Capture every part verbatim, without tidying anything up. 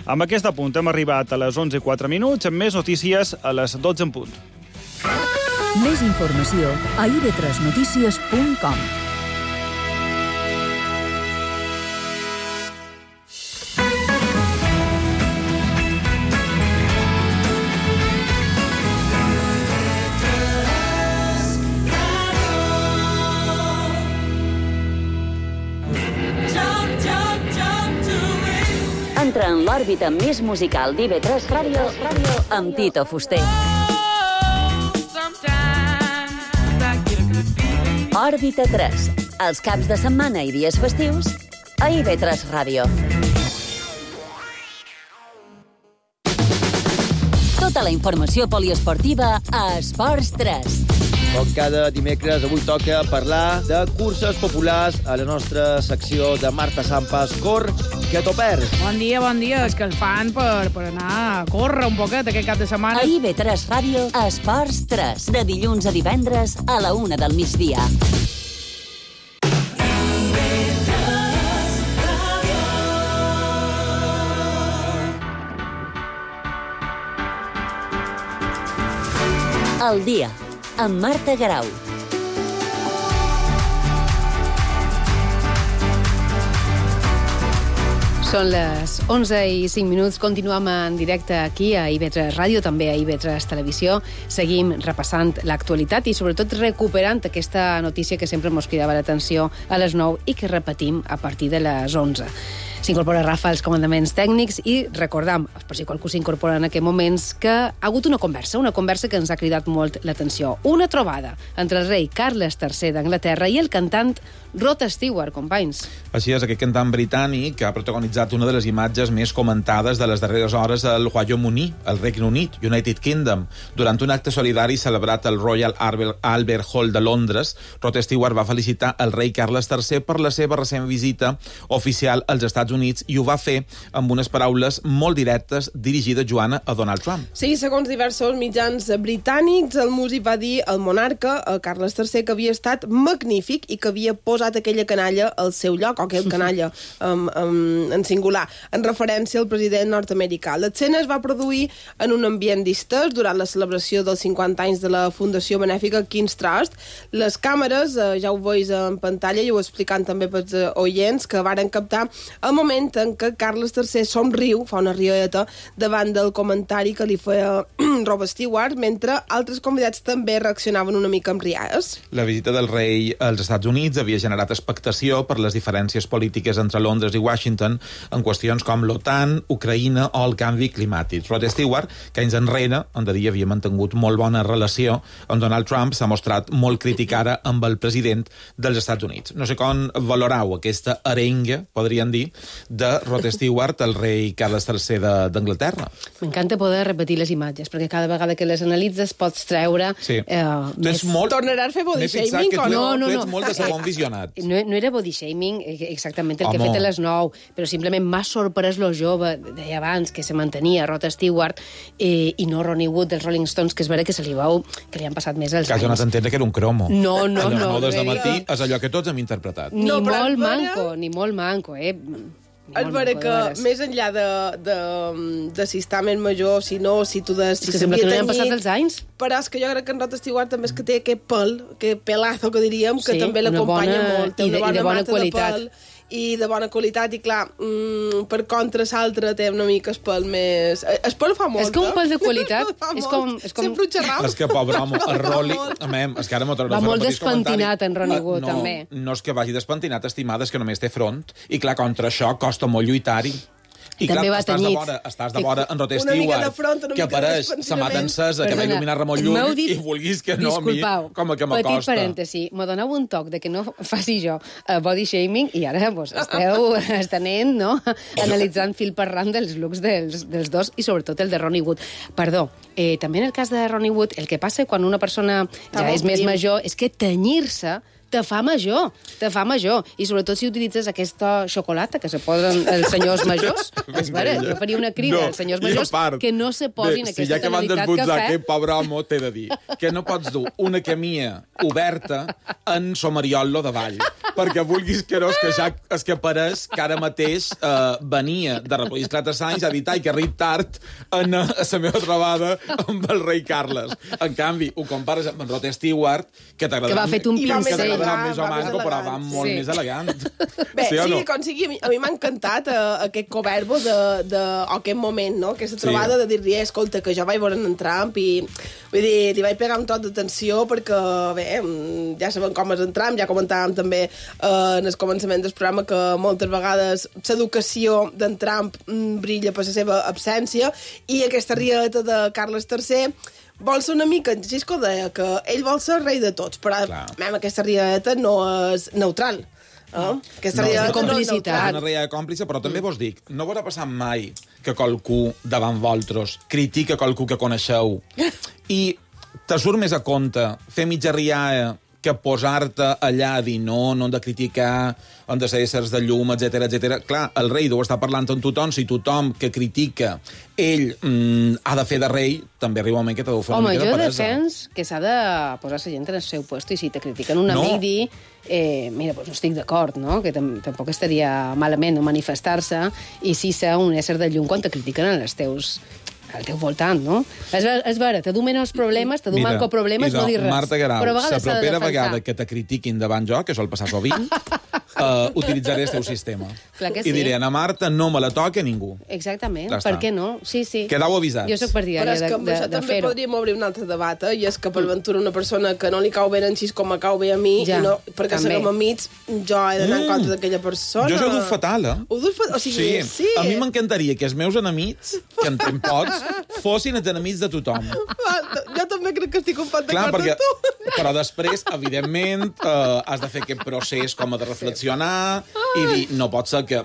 Amb aquest apunt hem arribat a les onze i quatre minuts, amb més notícies a les dotze en punt. Més informació a i ve tres notícies punt com. Entra en l'òrbita més musical d'I ve tres Ràdio amb Tito Fuster. Òrbita tres, els caps de setmana i dies festius a I ve tres Ràdio. Tota la informació poliesportiva a Esports tres. Com cada dimecres, avui toca parlar de curses populars a la nostra secció de Marta Sampas. Cor, que t'ho perds. Bon dia, bon dia. És que el fan per, per anar a córrer un poquet aquest cap de setmana. A I ve tres Ràdio, Esports tres, de dilluns a divendres a la una del migdia. El dia, amb Marta Garau. Són les onze i cinc minuts. Continuem en directe aquí a I ve tres Ràdio, també a I ve tres Televisió. Seguim repassant l'actualitat i sobretot recuperant aquesta notícia que sempre ens cridava l'atenció a les nou i que repetim a partir de les onze. S'incorpora Rafa als comandaments tècnics i recordam, per si qualcú s'incorpora en aquests moments, que ha hagut una conversa, una conversa que ens ha cridat molt l'atenció. Una trobada entre el rei Carles tercer d'Anglaterra i el cantant Rod Stewart, companys. Així és, aquest cantant britànic que ha protagonitzat una de les imatges més comentades de les darreres hores al Royaume-Uni, al Regne Unit, United Kingdom. Durant un acte solidari celebrat al Royal Albert Hall de Londres, Rod Stewart va felicitar el rei Carles tercer per la seva recent visita oficial als Estats Units i ho va fer amb unes paraules molt directes dirigides, Joana, a Donald Trump. Sí, segons diversos mitjans britànics, el músic va dir al monarca, a Carles tercer, que havia estat magnífic i que havia posat aquella canalla al seu lloc, o aquell canalla um, um, en singular, en referència al president nord-americà. L'escena es va produir en un ambient distès durant la celebració dels cinquanta anys de la Fundació Benèfica King's Trust. Les càmeres, eh, ja ho veus en pantalla i ho explicant també pels eh, oients, que varen captar el moment en què Carles tercer somriu, fa una riota, davant del comentari que li feia Rod Stewart, mentre altres convidats també reaccionaven una mica amb riades. La visita del rei als Estats Units havia generat expectació per les diferències polítiques entre Londres i Washington en qüestions com l'OTAN, Ucraïna o el canvi climàtic. Rod Stewart, que anys enrere, on de dia havia mantingut molt bona relació amb Donald Trump, s'ha mostrat molt crític ara amb el president dels Estats Units. No sé com valorau aquesta arenga, podríem dir, de Rod Stewart, el rei Carles tercer d'Anglaterra. M'encanta poder repetir les imatges, perquè cada vegada que les analitzes pots treure... Sí. Eh, més... molt... Tornaràs a fer body shaming o no? No, no, tu ets molt de segon visionat. No, no era body shaming exactament el Home. que he fet a les nou, però simplement m'ha sorprès lo jove, deia abans, que se mantenia Rod Stewart eh, i no Ronnie Wood dels Rolling Stones, que és vera que se li veu que li han passat més els anys. Que has donat a entendre que era un cromo. No, no, a les no. nou des de matí és allò que tots hem interpretat. Ni no, molt manco, ni molt manco, eh? És vera que, més enllà de, de, de si està més major, si no, si tu de... Si és que sembla que no li han passat els anys. Però és que jo crec que en Rod Stewart també és que té aquest pèl, aquest pelazo que diríem, que sí, també l'acompanya bona... molt. Té I de, una bona, i de bona mata qualitat. de pèl, i de bona qualitat, i clar, mm, per contra l'altre té una mica el pèl més... El pèl fa molt, És que un pèl de qualitat... és com, és com... Sempre ho xerram. És que, pobre home, el Rolly... És que ara m'ho va molt despentinat en Ronnie Wood, no, també. No és que vagi despentinat, estimada, és que només té front. I clar, contra això costa molt lluitar-hi. I també clar, va estàs tenir... de vora, estàs de vora en Rod Stewart, que apareix la mà d'encesa, que va il·luminar molt lluny, dit, i vulguis que no, disculpau, a mi, com a que m'acosta. Petit parèntesi, m'ho doneu un toc de que no faci jo uh, body shaming, i ara pues, esteu estenent, no?, analitzant fil per ram dels looks dels, dels dos, i sobretot el de Ronnie Wood. Perdó, eh, també en el cas de Ronnie Wood, el que passa quan una persona ja és més major és que tenyir-se te fa major, te fa major. I sobretot si utilitzes aquesta xocolata que se posen els senyors majors. És vera, jo faria una crida No, als senyors i a majors part, que no se posin bé, aquesta si ja que van tonalitat desbotzar cafè. aquest pobre home, t'he de dir que no pots dur una camia oberta en somariol-lo de vall, perquè vulguis que no, és que ja és que pareix que ara mateix eh, venia de recollir quatre anys a dir ai, que arrib tard en, a la meva trobada amb el rei Carles. En canvi, ho compares amb en Rod Stewart, que t'agradarà Que va fet un que pincell. t'agradarà més o Va més manco, però va elegant. molt Sí. més elegant. Bé, sí o no? sí, com sigui, a mi, a mi m'ha encantat uh, aquest coverbo de, de, o aquest moment, no? Aquesta trobada Sí. de dir-li, escolta, que jo vaig veure en Trump i, vull dir, li vaig pegar un tot d'atenció perquè, bé, mm, ja sabem com és en Trump, ja comentàvem també uh, en el començament del programa que moltes vegades l'educació d'en Trump mm, brilla per la seva absència i aquesta rieta de Carles tercer vol ser una mica, en Cisco deia que ell vol ser rei de tots, però mem, aquesta rieta no és neutral. Eh? Aquesta No, rieta és de complicitat. no és neutral. És una reia còmplice, però també vos dic, no vos ha passat mai que qualcú davant vosaltres critica qualcú que coneixeu i te surt més a compte fer mitja riada que posar-te allà a dir no, no hem de criticar, hem de ser éssers de llum, etcètera, etcètera. Clar, el rei deu estar parlant amb tothom, si tothom que critica ell mm, ha de fer de rei, també arriba un moment que t'ha de fer una Home, mica de jo peresa. defens que s'ha de posar la gent en el seu puesto i si te critiquen un amic No. dir eh, mira, doncs no estic d'acord, no? Que tam tampoc estaria malament no manifestar-se i sí ser un ésser de llum quan te critiquen en els teus al teu voltant, no? És, ver és vera, te du menys problemes, te du Mira, manco problemes, idò, no dir res. Marta Guerau, Però a la vegades s'ha de propera defensar. vegada que te critiquin davant jo, que sol passar sovint, uh, utilitzaré el teu sistema. Clar que I sí. diré, a Marta no me la toca ningú. Exactament, Ja per està. què no? Sí, sí. Quedau avisats. Jo sóc Però partidària és de, que amb de, això de també fer-ho. podríem obrir un altre debat, eh? I és que per ventura una persona que no li cau bé en Xis com me cau bé a mi, Ja, i no, perquè també. seguim amics, jo he d'anar en Mm. compte d'aquella persona. Jo això ho duc fatal, eh? Ho duc fatal? O sigui, Sí. sí. A mi m'encantaria que els meus enemics, que en tenc pocs, fossin els enemics de tothom. Va, jo també crec que estic un pot Clar, d'acord perquè, amb tu. però després, evidentment, eh, has de fer aquest procés com a de reflexionar i dir, no pot ser que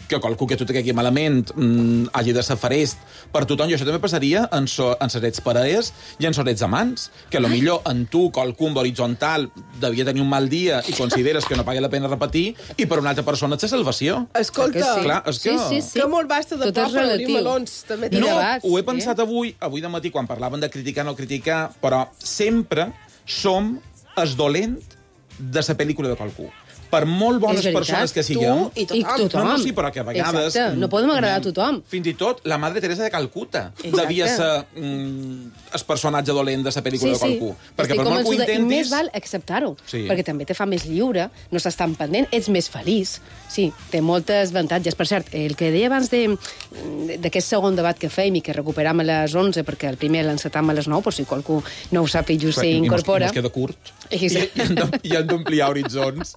que qualcú que tu te caigui malament mm, hagi de ser farest per tothom, i això també passaria en, so, en serets parelles i en serets amants, que a lo millor en tu qualcú amb horitzontal devia tenir un mal dia i consideres que no paga la pena repetir, i per una altra persona ets salvació. Escolta, Que sí. Clar, és que... Sí, sí, sí. que molt basta de Tot por és per obrir relatiu. melons. També t'he I de- No, debats, ho he sí. pensat avui, avui de matí, quan parlaven de criticar no criticar, però sempre som el dolent de la pel·lícula de qualcú. Per molt bones És veritat. persones que Tu siguem... i tothom. I tothom. No, no, sí, però que a vegades... Exacte, no podem agradar a tothom. Fins i tot la Madre Teresa de Calcuta Exacte. devia ser mm, el personatge dolent de la pel·lícula de qualcú. Perquè Estic per molt que ho convençuda, I intentis... més val acceptar-ho, Sí. perquè també te fa més lliure, no estàs tan pendent, ets més feliç. Sí, té moltes avantatges. Per cert, el que deia abans de- d'aquest segon debat que fèiem i que recuperam a les onze, perquè el primer l'encetam a les nou, per si qualcú no ho sap i just I mos- s'incorpora. I mos queda curt. I sí. I, i, hem de- i hem d'ampliar horitzons.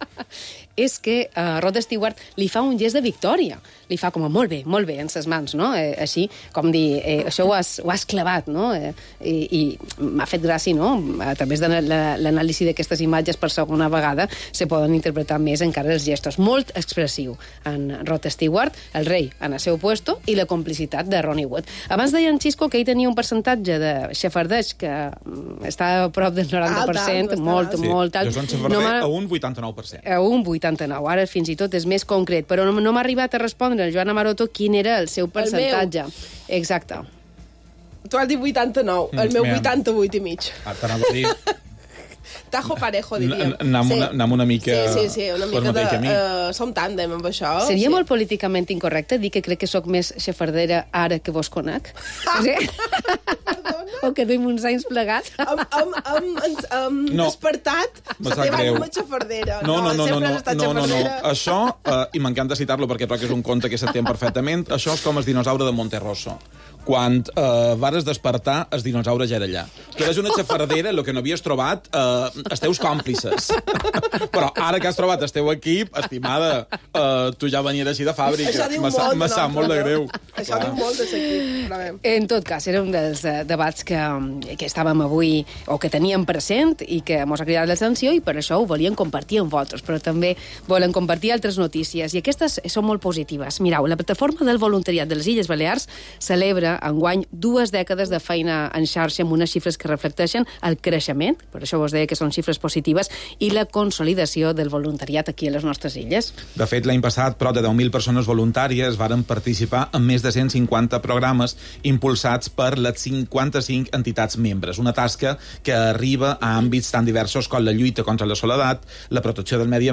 És que uh, Rod Stewart li fa un gest de victòria. Li fa com a molt bé, molt bé, en ses mans, no? Eh, així, com dir, eh, això ho has, ho has clavat, no? Eh, I i m'ha fet gràcia, no? A través de l'anàlisi d'aquestes imatges per segona vegada se poden interpretar més encara els gestos. Molt expressiu en Rod Stewart, el rei en el seu puesto i la complicitat de Ronnie Wood. Abans deia en Xisco que ell tenia un percentatge de xafardeig que mm, està a prop del noranta per cent, Alt, alt, molt, bastant Sí, molt alt. jo soc xafarder No m'ha- a un vuitanta-nou per cent. a un vuitanta-nou. Ara fins i tot és més concret, però no, no m'ha arribat a respondre el Joan Amaroto quin era el seu percentatge. Exacte. Tu has dit vuitanta-nou, el Mm, meu mira. vuitanta-vuit i mig. Ah, t'anava a dir... Tajo parejo, diríem. Anem una- anem una mica Sí, sí, sí, una per mica de... mateix camí. Uh, som tàndem amb això. Seria sí. molt políticament incorrecte dir que crec que sóc més xafardera ara que vos conec? Sí? O que duim uns anys plegats? Hem, hem, hem, ens hem No. despertat Me la sap teva greu. ànima xafardera. No, no, no, no, sempre no, has estat no, no, no. xafardera. Això, eh, i m'encanta citar-lo perquè trobo que és un conte que s'entén perfectament, això és com el dinosaure de Monterroso. Quan eh, vares despertar, el dinosaure ja era allà. Tu eres una xafardera, el que no havies trobat, eh, els teus còmplices. Però ara que has trobat el teu equip, estimada, eh, tu ja venies així de fàbrica. Això diu Me sap- molt, me sap no? molt de greu. Això diu molt de l'equip, però bé. En tot cas, era un dels eh, debats que, que estàvem avui, o que teníem present, i que ens ha cridat l'atenció, i per això ho volíem compartir amb vosaltres, però també volen compartir altres notícies, i aquestes són molt positives. Mireu, la plataforma del voluntariat de les Illes Balears celebra enguany dues dècades de feina en xarxa amb unes xifres que reflecteixen el creixement, per això vos deia que són xifres positives, i la consolidació del voluntariat aquí a les nostres illes. De fet, l'any passat, prop de deu mil persones voluntàries varen participar en més de cent cinquanta programes impulsats per les cinquanta-cinc entitats membres. Una tasca que arriba a àmbits tan diversos com la lluita contra la soledat, la protecció del medi,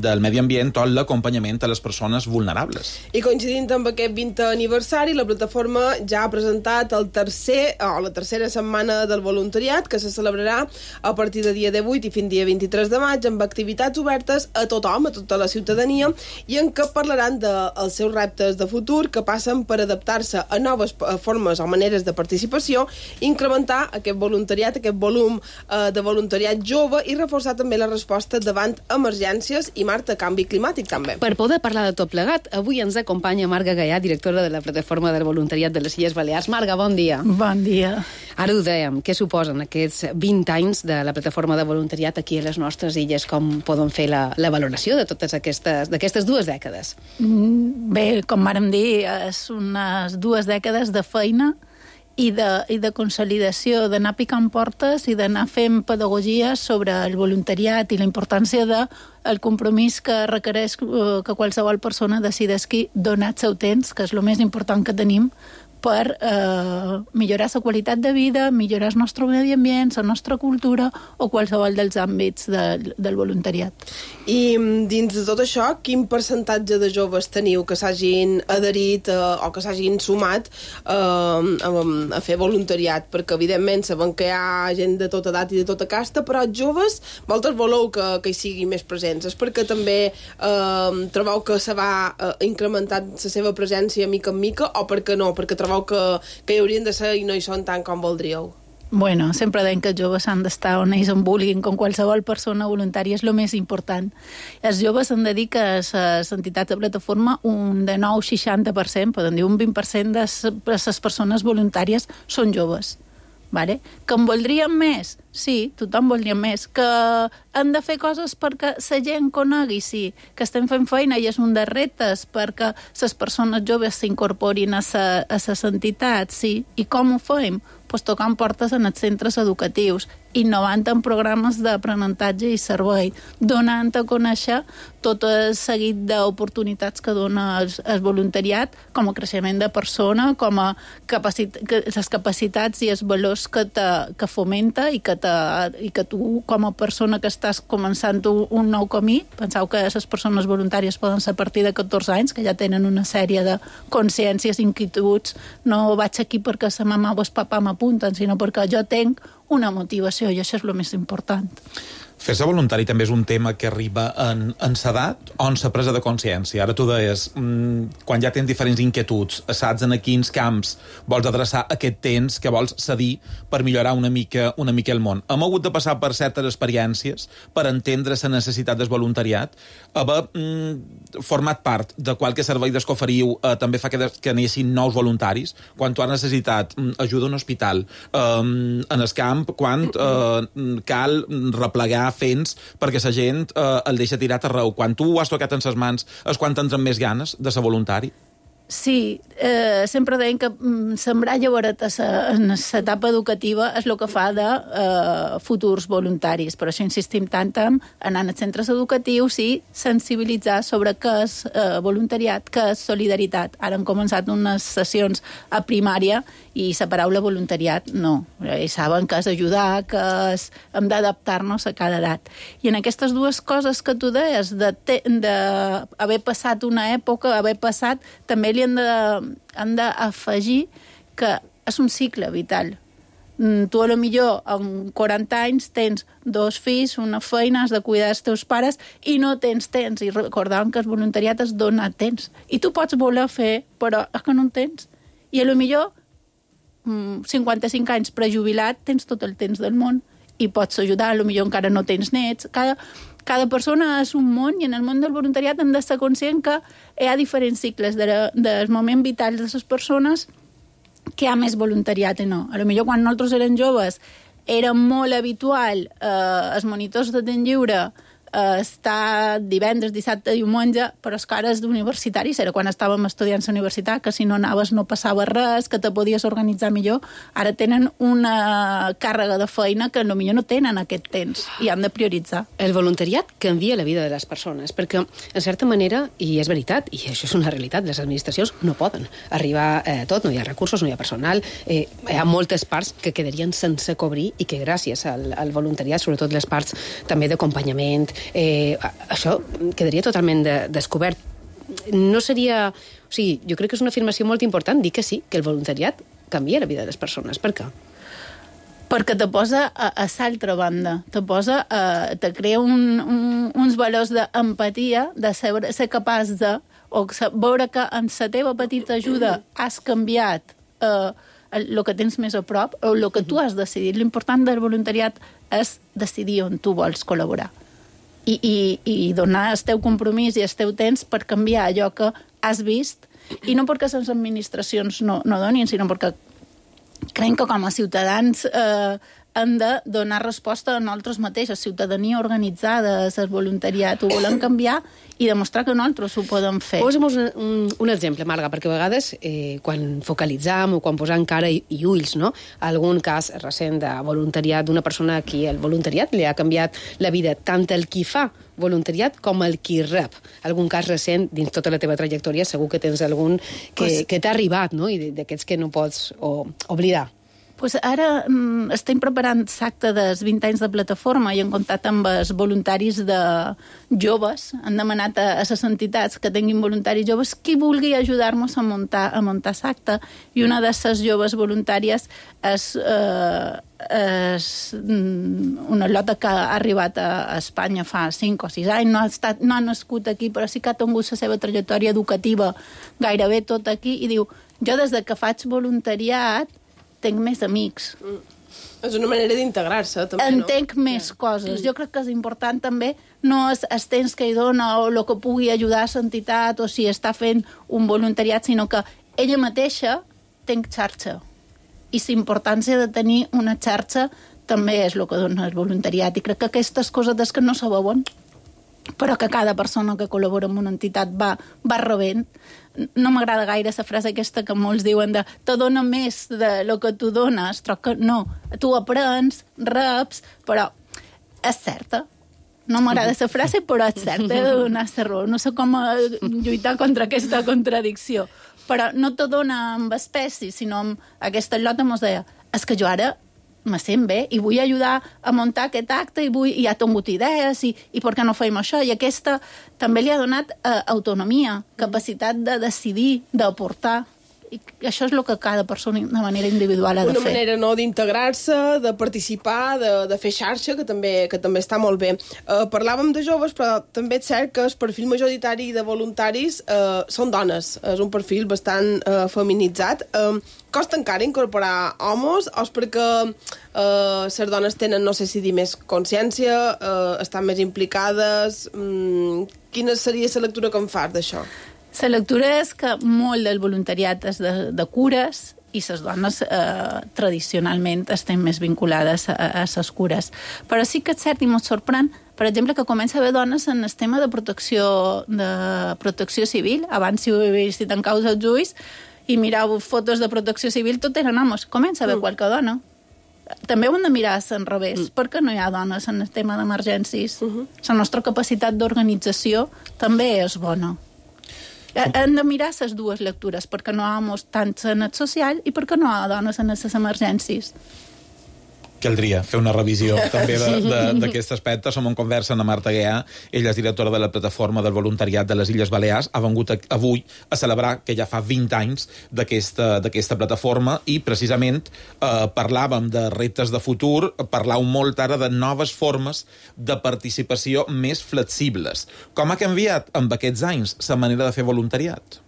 del medi ambient o l'acompanyament a les persones vulnerables. I coincidint amb aquest vintè aniversari, la plataforma ja ha presentat el tercer, o la tercera setmana del voluntariat, que se celebrarà a partir de dia divuit i fins dia vint-i-tres de maig, amb activitats obertes a tothom, a tota la ciutadania, i en què parlaran dels seus reptes de futur, que passen per adaptar-se a noves formes o maneres de participació, incrementar aquest voluntariat, aquest volum eh, de voluntariat jove i reforçar també la resposta davant emergències i, Marta, canvi climàtic també. Per poder parlar de tot plegat, avui ens acompanya Marga Gaià, directora de la plataforma del voluntariat de les Illes Balears. Marga, bon dia. Bon dia. Ara ho dèiem, què suposen aquests vint anys de la plataforma de voluntariat aquí a les nostres illes? Com poden fer la, la valoració de totes aquestes, d'aquestes dues dècades? Bé, com vàrem dir, és unes dues dècades de feina i de, i de consolidació, d'anar picant portes i d'anar fent pedagogia sobre el voluntariat i la importància de el compromís que requereix que qualsevol persona decideixi donar el seu temps, que és el més important que tenim, per eh, millorar la qualitat de vida, millorar el nostre medi ambient, la nostra cultura o qualsevol dels àmbits de, del voluntariat. I dins de tot això, quin percentatge de joves teniu que s'hagin adherit eh, o que s'hagin sumat eh, a, a fer voluntariat? Perquè, evidentment, sabem que hi ha gent de tota edat i de tota casta, però joves, vosaltres voleu que, que hi siguin més presents. És perquè també eh, trobeu que se va eh, incrementant la seva presència mica en mica, o perquè no? Perquè trobeu que, que hi haurien de ser i no hi són tant com voldríeu? Bueno, sempre deim que els joves han d'estar on ells en vulguin, com qualsevol persona voluntària, és el més important. Els joves han de dir que a les entitats de plataforma un de nou seixanta per cent, poden dir un vint per cent de les persones voluntàries són joves. Vale? Que en voldríem més? Sí, tothom voldria més. Que han de fer coses perquè la gent conegui? Sí. Que estem fent feina i és un dels reptes perquè les persones joves s'incorporin a les entitats? Sí. I com ho fem? Pues tocant portes en els centres educatius, innovant en programes d'aprenentatge i servei, donant a conèixer tot el seguit d'oportunitats que dona el, el voluntariat com a creixement de persona, com a capacit que, les capacitats i els valors que, te, que fomenta i que, te, i que tu, com a persona que estàs començant un nou camí, penseu que les persones voluntàries poden ser a partir de catorze anys, que ja tenen una sèrie de consciències, inquietuds, no vaig aquí perquè sa mama o el papà m'apunten, sinó perquè jo tenc una motivació, i això és el més important. Fer-se voluntari també és un tema que arriba en, en s'edat o en sa presa de consciència. Ara tu deies, mmm, quan ja tens diferents inquietuds, saps en a quins camps vols adreçar aquest temps que vols cedir per millorar una mica, una mica el món. Hem hagut de passar per certes experiències per entendre la necessitat del voluntariat. Haver mm, format part de qualque servei d'escoferiu eh, també fa que, de, que n'hi nous voluntaris. Quan tu has necessitat mm, ajuda a un hospital, eh, en el camp, quan eh, cal replegar fents perquè la gent eh, el deixa tirat arreu. Quan tu ho has tocat en ses mans és quan t'entren més ganes de ser voluntari? Sí, eh, sempre deien que mm, sembrar llavors en l'etapa educativa és el que fa de eh, futurs voluntaris. Per això insistim tant en anar als centres educatius i sensibilitzar sobre què és eh, voluntariat, què és solidaritat. Ara han començat unes sessions a primària i la paraula voluntariat no. I saben que és ajudar, que és, hem d'adaptar-nos a cada edat. I en aquestes dues coses que tu deies, d'haver passat una època, haver passat, també li han de, han d'afegir que és un cicle vital. Tu a lo millor amb quaranta anys tens dos fills, una feina, has de cuidar dels teus pares i no tens temps. I recordàvem que el voluntariat és donar temps. I tu pots voler fer, però és que no en tens. I a lo millor cinquanta-cinc anys prejubilat tens tot el temps del món i pots ajudar, potser encara no tens nets. Cada, cada persona és un món i en el món del voluntariat hem de ser conscient que hi ha diferents cicles de, dels moments vitals de les persones que hi ha més voluntariat i no. A lo millor quan nosaltres érem joves era molt habitual eh, els monitors de temps lliure eh, estar divendres, dissabte, diumenge, però és que ara és d'universitaris, era quan estàvem estudiants a la universitat, que si no anaves no passava res, que te podies organitzar millor. Ara tenen una càrrega de feina que potser no tenen aquest temps i han de prioritzar. El voluntariat canvia la vida de les persones, perquè, en certa manera, i és veritat, i això és una realitat, les administracions no poden arribar a eh, tot, no hi ha recursos, no hi ha personal, eh, hi ha moltes parts que quedarien sense cobrir i que gràcies al, al voluntariat, sobretot les parts també d'acompanyament, eh, això quedaria totalment de, descobert. No seria... O sigui, jo crec que és una afirmació molt important dir que sí, que el voluntariat canvia la vida de les persones. Per què? Perquè te posa a, a l'altra banda, te posa a, te crea un, un, uns valors d'empatia, de ser, ser capaç de, o veure que amb la teva petita ajuda has canviat eh, el que tens més a prop, o el que tu has decidit. L'important del voluntariat és decidir on tu vols col·laborar. I, i, i donar el teu compromís i el teu temps per canviar allò que has vist, i no perquè les administracions no, no donin, sinó perquè creiem que com a ciutadans eh, hem de donar resposta a nosaltres mateixos, ciutadania organitzada, el voluntariat, ho volem canviar i demostrar que nosaltres ho podem fer. Posa'm un, un, un exemple, Marga, perquè a vegades eh, quan focalitzam o quan posam cara i, i ulls, no?, algun cas recent de voluntariat d'una persona a qui el voluntariat li ha canviat la vida, tant el qui fa voluntariat com el qui rep. Algun cas recent, dins tota la teva trajectòria, segur que tens algun que, pues, que t'ha arribat, no?, i d'aquests que no pots o, oblidar. Pues ara mm, estem preparant l'acte dels vint anys de plataforma i hem comptat amb els voluntaris de joves. Han demanat a, a les entitats que tinguin voluntaris joves qui vulgui ajudar-nos a muntar, a muntar l'acte. I una de les joves voluntàries és, eh, és una lota que ha arribat a, a Espanya fa cinc o sis anys. No ha, estat, no ha nascut aquí, però sí que ha tingut la seva trajectòria educativa gairebé tot aquí i diu, jo des de que faig voluntariat tenc més amics. Mm. És una manera d'integrar-se, també, Entenc no? Entenc més yeah. coses. Jo crec que és important també, no és el temps que hi dona o el que pugui ajudar a l'entitat o si està fent un voluntariat, sinó que ella mateixa tenc xarxa. I la importància de tenir una xarxa també és el que dona el voluntariat. I crec que aquestes coses des que no se veuen, però que cada persona que col·labora amb una entitat va, va rebent. No m'agrada gaire la frase aquesta que molts diuen de te dona més de lo que tu dones, però que no. Tu aprens, reps, però és certa. No m'agrada la frase, però és certa, he de donar la raó. No sé com lluitar contra aquesta contradicció. Però no te dona amb espècies, sinó amb aquesta lota mos deia, és que jo ara me sent bé i vull ajudar a muntar aquest acte i, vull, i ha tingut idees i, i per què no fem això? I aquesta també li ha donat eh, autonomia, capacitat de decidir, d'aportar. I això és el que cada persona de manera individual ha de Una fer. Una manera no d'integrar-se, de participar, de, de fer xarxa, que també, que també està molt bé. Uh, parlàvem de joves, però també és cert que el perfil majoritari de voluntaris uh, són dones. És un perfil bastant uh, feminitzat. Uh, costa encara incorporar homes o és perquè uh, les dones tenen, no sé si dir, més consciència, uh, estan més implicades? Um, quina seria la lectura que en fas d'això? La lectura és que molt del voluntariat és de, de cures i les dones eh, tradicionalment estem més vinculades a, a les cures. Però sí que és cert i molt sorprèn, per exemple, que comença a haver dones en el tema de protecció, de protecció civil. Abans, si ho he vist en causa els ulls i mirau fotos de protecció civil, tot eren homes. Comença a haver mm. qualque dona. També ho hem de mirar en revés. Mm. Per què no hi ha dones en el tema d'emergències? Uh-huh. La nostra capacitat d'organització també és bona. Hem de mirar les dues lectures, perquè no hi ha homes tant en el social i perquè no hi ha dones en les emergències. Caldria fer una revisió també d'aquest aspecte. Som en conversa amb Marta Guià, ella és directora de la plataforma del voluntariat de les Illes Balears, ha vengut avui a celebrar que ja fa vint anys d'aquesta plataforma i precisament eh, parlàvem de reptes de futur, parlàvem molt ara de noves formes de participació més flexibles. Com ha canviat amb aquests anys la manera de fer voluntariat?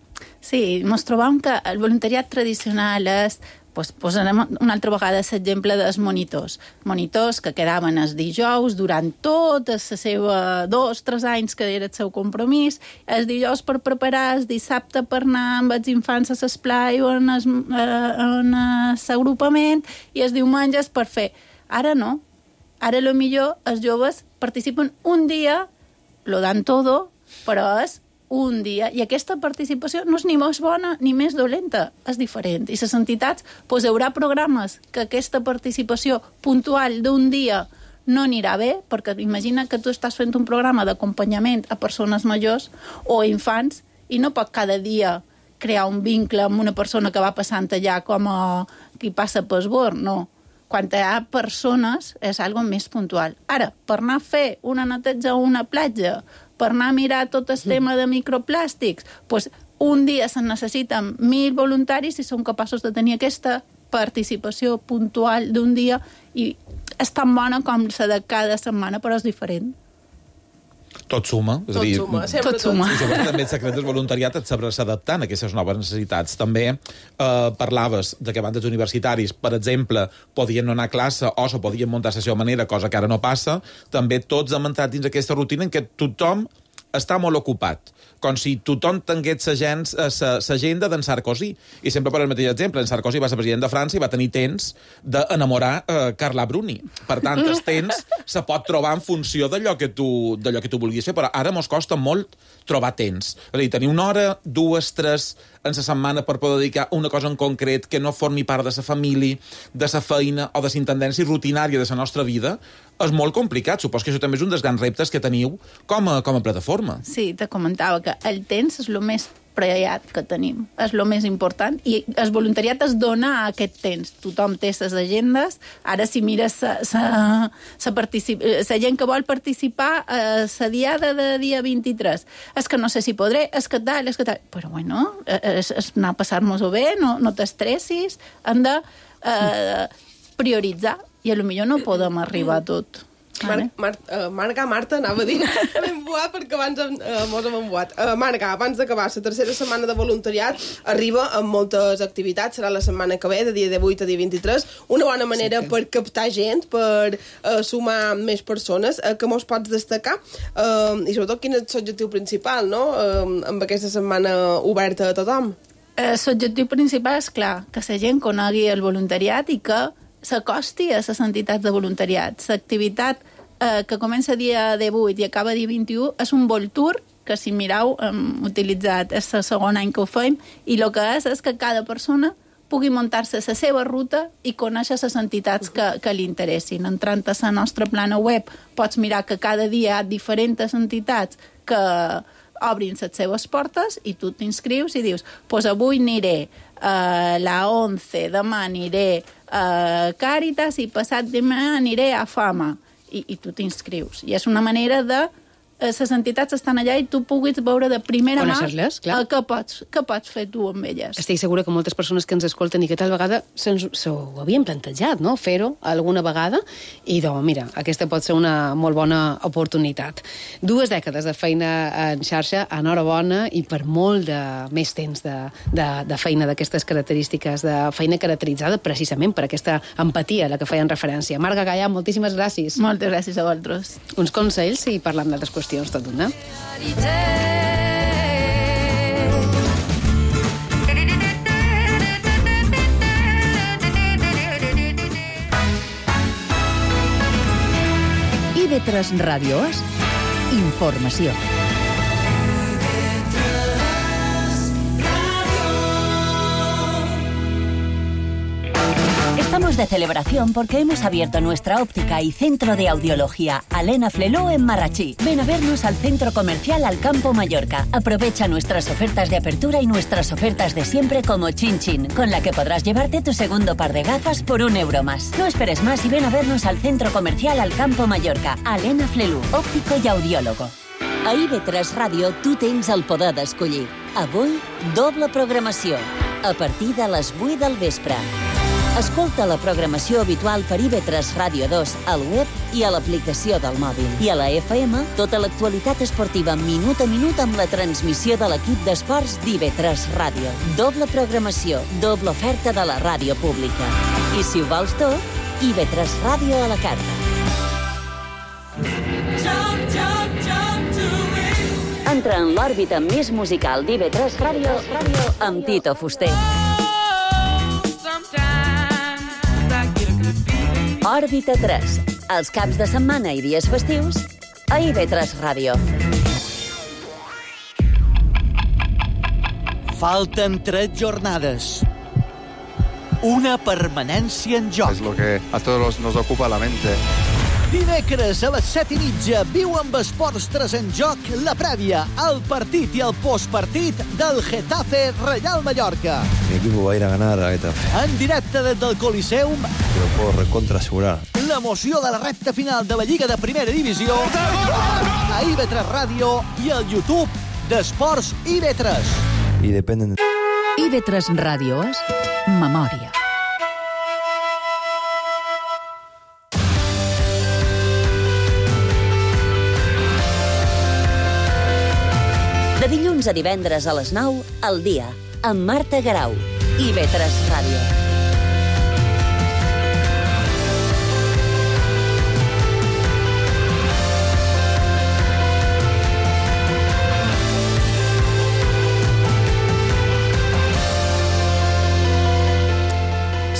Sí, ens trobam que el voluntariat tradicional és Pues posarem una altra vegada l'exemple dels monitors. Monitors que quedaven els dijous durant tot la seva dos, tres anys que era el seu compromís, els dijous per preparar, el dissabte per anar amb els infants a l'esplai o en l'agrupament i els diumenges per fer. Ara no. Ara, a lo millor, els joves participen un dia, lo dan todo, però és un dia, i aquesta participació no és ni més bona ni més dolenta, és diferent. I les entitats, doncs, hi haurà programes que aquesta participació puntual d'un dia no anirà bé, perquè imagina que tu estàs fent un programa d'acompanyament a persones majors o a infants i no pot cada dia crear un vincle amb una persona que va passant allà com a qui passa per esbord, no. Quan hi ha persones és algo més puntual. Ara, per anar a fer una neteja a una platja, per anar a mirar tot el tema de microplàstics, doncs un dia se'n necessiten mil voluntaris i són capaços de tenir aquesta participació puntual d'un dia i és tan bona com la de cada setmana, però és diferent. Tot suma. És tot a dir, suma, sempre tot suma. I sobretot també el secret del voluntariat et sabràs adaptant a aquestes noves necessitats. També eh, parlaves de que bandes universitaris, per exemple, podien no anar a classe o se podien muntar la seva manera, cosa que ara no passa. També tots hem entrat dins aquesta rutina en què tothom està molt ocupat, com si tothom tingués l'agenda d'en Sarkozy. I sempre per el mateix exemple, en Sarkozy va ser president de França i va tenir temps d'enamorar eh, Carla Bruni. Per tant, el temps se pot trobar en funció d'allò que tu, d'allò que tu vulguis fer, però ara mos costa molt trobar temps. És a dir, tenir una hora, dues, tres en la setmana per poder dedicar una cosa en concret que no formi part de la família, de la feina o de la intendència rutinària de la nostra vida, és molt complicat. Supos que això també és un dels grans reptes que teniu com a, com a plataforma. Sí, te comentava que el temps és el més preciat que tenim, és el més important, i el voluntariat és donar aquest temps. Tothom té les agendes. Ara, si mires la gent que vol participar a la diada de dia vint-i-tres, és que no sé si podré, és que tal, és que tal. Però, bueno, és, és anar a passar-nos-ho bé, no, no t'estressis, hem de eh, prioritzar, i a lo millor no podem arribar a tot. Mar Mar uh, Marga, Marta, anava a dir, m'he embuat perquè abans uh, mos hem embuat. Uh, Marga, abans d'acabar la tercera setmana de voluntariat, arriba amb moltes activitats, serà la setmana que ve, de dia divuit a dia vint-i-tres, una bona manera sí, per captar gent, per uh, sumar més persones, uh, que mos pots destacar, uh, i sobretot quin és l'objectiu principal, no?, uh, amb aquesta setmana oberta a tothom. Uh, l'objectiu principal és, clar, que la gent conegui el voluntariat i que s'acosti a les entitats de voluntariat. L'activitat eh, que comença dia divuit i acaba dia vint-i-u és un Vol Tour, que si mireu hem utilitzat, és el segon any que ho fem, i el que és és que cada persona pugui muntar-se la seva ruta i conèixer les entitats que, que li interessin. Entrant a la nostra plana web pots mirar que cada dia hi ha diferents entitats que obrin les seves portes i tu t'inscrius i dius, pues avui aniré a la once, demà aniré a Càritas i passat demà aniré a Fama. I, i tu t'inscrius. I és una manera de... Les entitats estan allà i tu puguis veure de primera mà què pots, què pots fer tu amb elles. Estic segura que moltes persones que ens escolten i que tal vegada s'ho havien plantejat, no?, fer-ho alguna vegada, i doncs, mira, aquesta pot ser una molt bona oportunitat. Dues dècades de feina en xarxa, enhorabona, i per molt de més temps de, de, de feina d'aquestes característiques, de feina caracteritzada precisament per aquesta empatia a la que feien referència. Marga Gallà, moltíssimes gràcies. Moltes gràcies a vosaltres. Uns consells i parlant d'altres qüestions. Tot una. I ve tres Ràdio és informació. Estamos de celebración porque hemos abierto nuestra óptica y centro de audiología Alena Fleló en Marrachí. Ven a vernos al centro comercial Alcampo Mallorca. Aprovecha nuestras ofertas de apertura y nuestras ofertas de siempre como Chin Chin, con la que podrás llevarte tu segundo par de gafas por un euro más. No esperes más y ven a vernos al centro comercial Alcampo Mallorca. Alena Fleló, òptico i audiòlogo. A I V tres Ràdio tu tens el poder d'escollir. Avui, doble programació. A partir de les vuit del vespre. Escolta la programació habitual per I V tres Ràdio dos al web i a l'aplicació del mòbil. I a la F M, tota l'actualitat esportiva minut a minut amb la transmissió de l'equip d'esports d'I V tres Ràdio. Doble programació, doble oferta de la ràdio pública. I si ho vols tot, I V tres Ràdio a la carta. Entra en l'òrbita més musical d'I V tres Ràdio amb Tito Fuster. Òrbita tres, els caps de setmana i dies festius a I V tres Ràdio. Falten tres jornades. Una permanència en joc. Es lo que a todos nos ocupa la mente. Dimecres a les set i mitja viu amb Esports tres en joc la prèvia, el partit i el postpartit del Getafe Real Mallorca. Mi equipo va a ir a ganar a Getafe. En directe des del Coliseum. Te lo puedo recontra asegurar. L'emoció de la recta final de la Lliga de Primera Divisió a I V tres Ràdio i al YouTube d'Esports I V tres. Y dependen de... I V tres Ràdio és memòria. De dilluns a divendres a les nou, al dia, amb Marta Garau, I V tres Ràdio.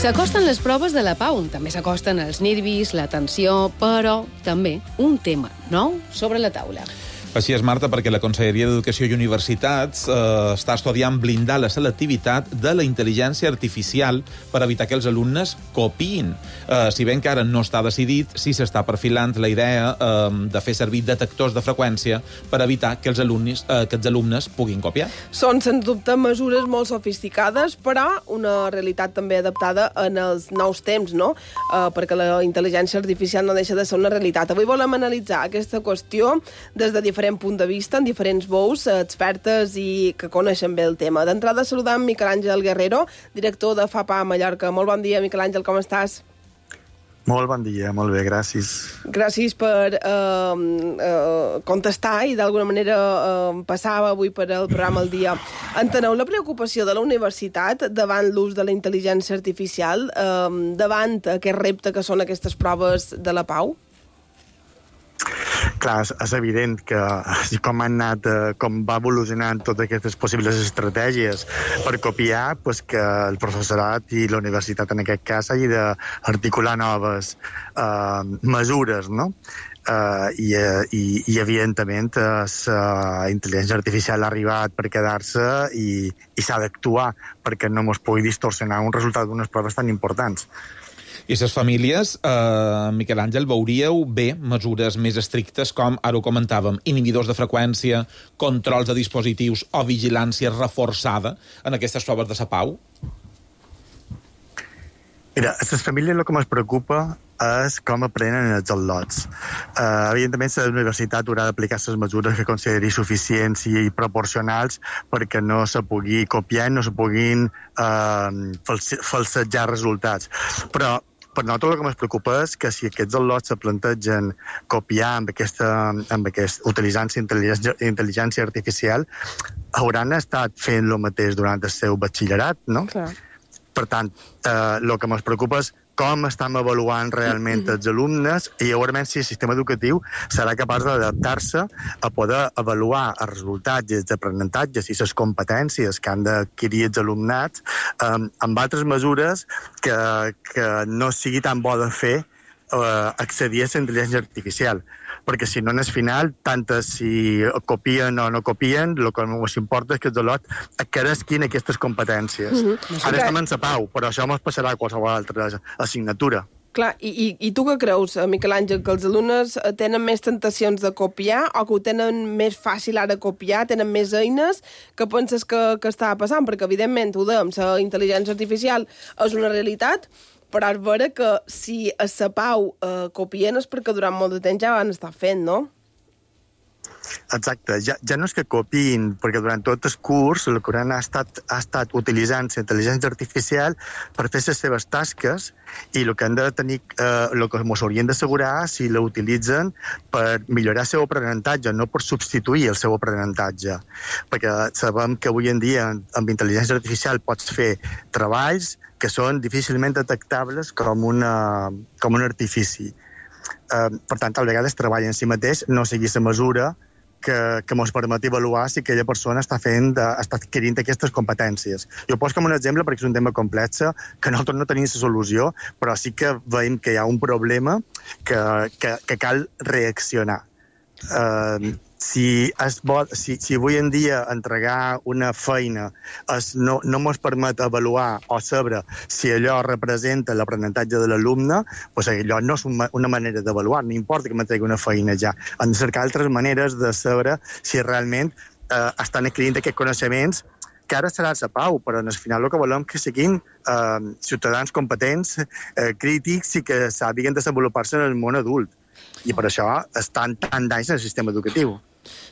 S'acosten les proves de la Pau, també s'acosten els nervis, la tensió, però també un tema nou sobre la taula. Així és, Marta, perquè la Conselleria d'Educació i Universitats eh, està estudiant blindar la selectivitat de la intel·ligència artificial per evitar que els alumnes copiïn. Eh, si bé encara no està decidit, sí s'està perfilant la idea eh, de fer servir detectors de freqüència per evitar que els alumnes, eh, que els alumnes puguin copiar. Són, sens dubte, mesures molt sofisticades, però una realitat també adaptada en els nous temps, no? Eh, perquè la intel·ligència artificial no deixa de ser una realitat. Avui volem analitzar aquesta qüestió des de diferents punt de vista, en diferents veus, expertes i que coneixen bé el tema. D'entrada saludam Miquel Àngel Guerrero, director de FAPA Mallorca. Molt bon dia, Miquel Àngel, com estàs? Molt bon dia, molt bé, gràcies. Gràcies per eh, eh, contestar i d'alguna manera eh, passar avui per el programa al dia. Enteneu la preocupació de la universitat davant l'ús de la intel·ligència artificial, eh, davant aquest repte que són aquestes proves de la Pau? Clar, és evident que com han anat, com va evolucionant totes aquestes possibles estratègies per copiar, pues que el professorat i la universitat en aquest cas hagi d'articular noves eh, mesures, no? Uh, i, i, i evidentment la intel·ligència artificial ha arribat per quedar-se i, i s'ha d'actuar perquè no ens pugui distorsionar un resultat d'unes proves tan importants. I les famílies, eh, Miquel Àngel, veuríeu bé mesures més estrictes com, ara ho comentàvem, inhibidors de freqüència, controls de dispositius o vigilància reforçada en aquestes proves de la Pau? Mira, a les famílies el que ens preocupa és com aprenen els al·lots. Uh, evidentment, la universitat haurà d'aplicar les mesures que consideri suficients i proporcionals perquè no se pugui copiar, no se puguin uh, falsejar resultats. Però per nosaltres el que ens preocupa és que si aquests al·lots se plantegen copiar amb aquesta, amb aquest, utilitzant intel·ligència, intel·ligència artificial, hauran estat fent el mateix durant el seu batxillerat, no? Clar. Per tant, eh, el que ens preocupa és com estem avaluant realment els alumnes i llavors si el sistema educatiu serà capaç d'adaptar-se a poder avaluar els resultats i els aprenentatges i les competències que han d'adquirir els alumnats eh, amb altres mesures que, que no sigui tan bo de fer eh, accedir a la intel·ligència artificial. Perquè si no, en el final, tant si copien o no copien, el que ens importa és que els alumnes adquiresquin aquestes competències. Mm-hmm. Ara estem en la Pau, però això ens passarà a qualsevol altra assignatura. Clar, i, i, i tu què creus, Miquel Àngel, que els alumnes tenen més tentacions de copiar o que ho tenen més fàcil ara copiar, tenen més eines? Què penses que, que està passant? Perquè, evidentment, ho dèiem, la intel·ligència artificial és una realitat, però és vera que si a la Pau eh, copien és perquè durant molt de temps ja van estar fent, no? Exacte, ja, ja no és que copiïn, perquè durant tot el curs el Coran ha estat, ha estat utilitzant la intel·ligència artificial per fer les seves tasques i el que han de tenir, eh, el que ens haurien d'assegurar si l'utilitzen per millorar el seu aprenentatge, no per substituir el seu aprenentatge. Perquè sabem que avui en dia amb intel·ligència artificial pots fer treballs que són difícilment detectables com, una, com un artifici. Eh, per tant, a vegades treball en si mateix no sigui la mesura que, que ens permet avaluar si aquella persona està fent, de, està adquirint aquestes competències. Jo poso com un exemple perquè és un tema complex, que nosaltres no tenim la solució, però sí que veiem que hi ha un problema que, que, que cal reaccionar. Uh, si, es vol, si, si avui en dia entregar una feina es, no, no ens permet avaluar o saber si allò representa l'aprenentatge de l'alumne, doncs allò no és una, una manera d'avaluar, no importa que m'entregui una feina ja. Hem de cercar altres maneres de saber si realment eh, estan adquirint aquests coneixements que ara serà la pau, però al final el que volem que siguin eh, ciutadans competents, eh, crítics i que sàpiguen desenvolupar-se en el món adult. I per això estan tan d'anys en el sistema educatiu.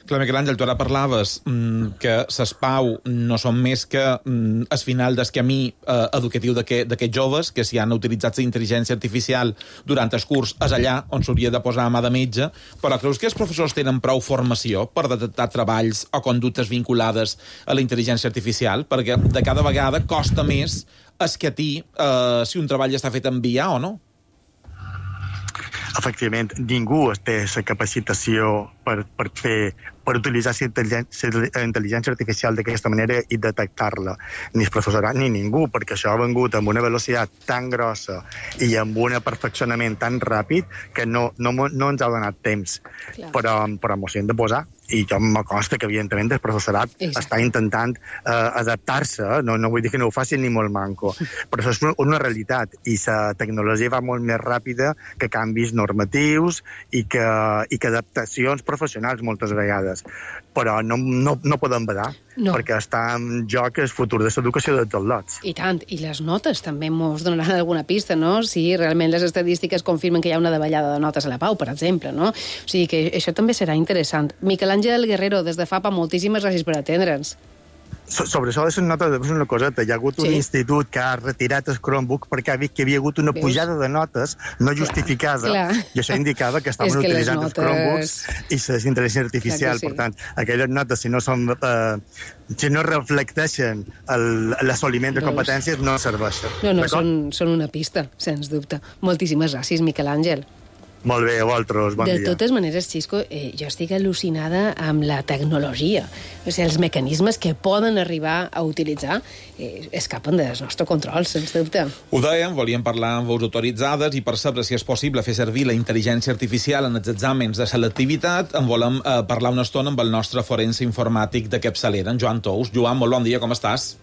Clar, Miquel Àngel, tu ara parlaves mm, que les Pau no són més que mm, el final del camí eh, educatiu d'aquests joves, que si han utilitzat la intel·ligència artificial durant el curs és allà on s'hauria de posar a mà de metge, però creus que els professors tenen prou formació per detectar treballs o conductes vinculades a la intel·ligència artificial? Perquè de cada vegada costa més escatir eh, si un treball està fet en I A o no. Efectivament, ningú té la capacitació per, per fer per utilitzar la intel·ligència artificial d'aquesta manera i detectar-la. Ni el professorat ni ningú, perquè això ha vengut amb una velocitat tan grossa i amb un perfeccionament tan ràpid que no, no, no ens ha donat temps. Clar. Però, però ens hi hem de posar. I jo me consta que, evidentment, el professorat Exacte. Està intentant eh, adaptar-se. No, no vull dir que no ho facin ni molt manco. Però això és una, una realitat. I la tecnologia va molt més ràpida que canvis normatius i que, i que adaptacions professionals moltes vegades. Però no, no, no podem badar, no. Perquè està en joc el futur de l'educació de tots lots. I tant. I les notes també ens donaran alguna pista, no? Si realment les estadístiques confirmen que hi ha una davallada de notes a la Pau, per exemple, no? O sigui que això també serà interessant. Miquel Àngel Guerrero, des de FAPA, moltíssimes gràcies per atendre'ns. Sobre això de les notes, és una coseta. Hi ha hagut un sí. institut que ha retirat el Chromebook perquè ha vist que hi havia hagut una Veus? pujada de notes no justificada, clar, clar. I això indicava que estaven que utilitzant notes... els Chromebooks i la intel·ligència artificial. Sí. Per tant, aquelles notes, si no són... Eh, si no reflecteixen l'assoliment de competències, no serveixen. No, no, són, són una pista, sens dubte. Moltíssimes gràcies, Miquel Àngel. Molt bé, a vosaltres, bon de dia. De totes maneres, Xisco, eh, jo estic al·lucinada amb la tecnologia. O sigui, els mecanismes que poden arribar a utilitzar eh, escapen del nostre control, sens dubte. Ho dèiem, volíem parlar amb veus autoritzades i per saber si és possible fer servir la intel·ligència artificial en els exàmens de selectivitat, en volem eh, parlar una estona amb el nostre forense informàtic de capçalera, en Joan Tous. Joan, molt bon dia, com estàs?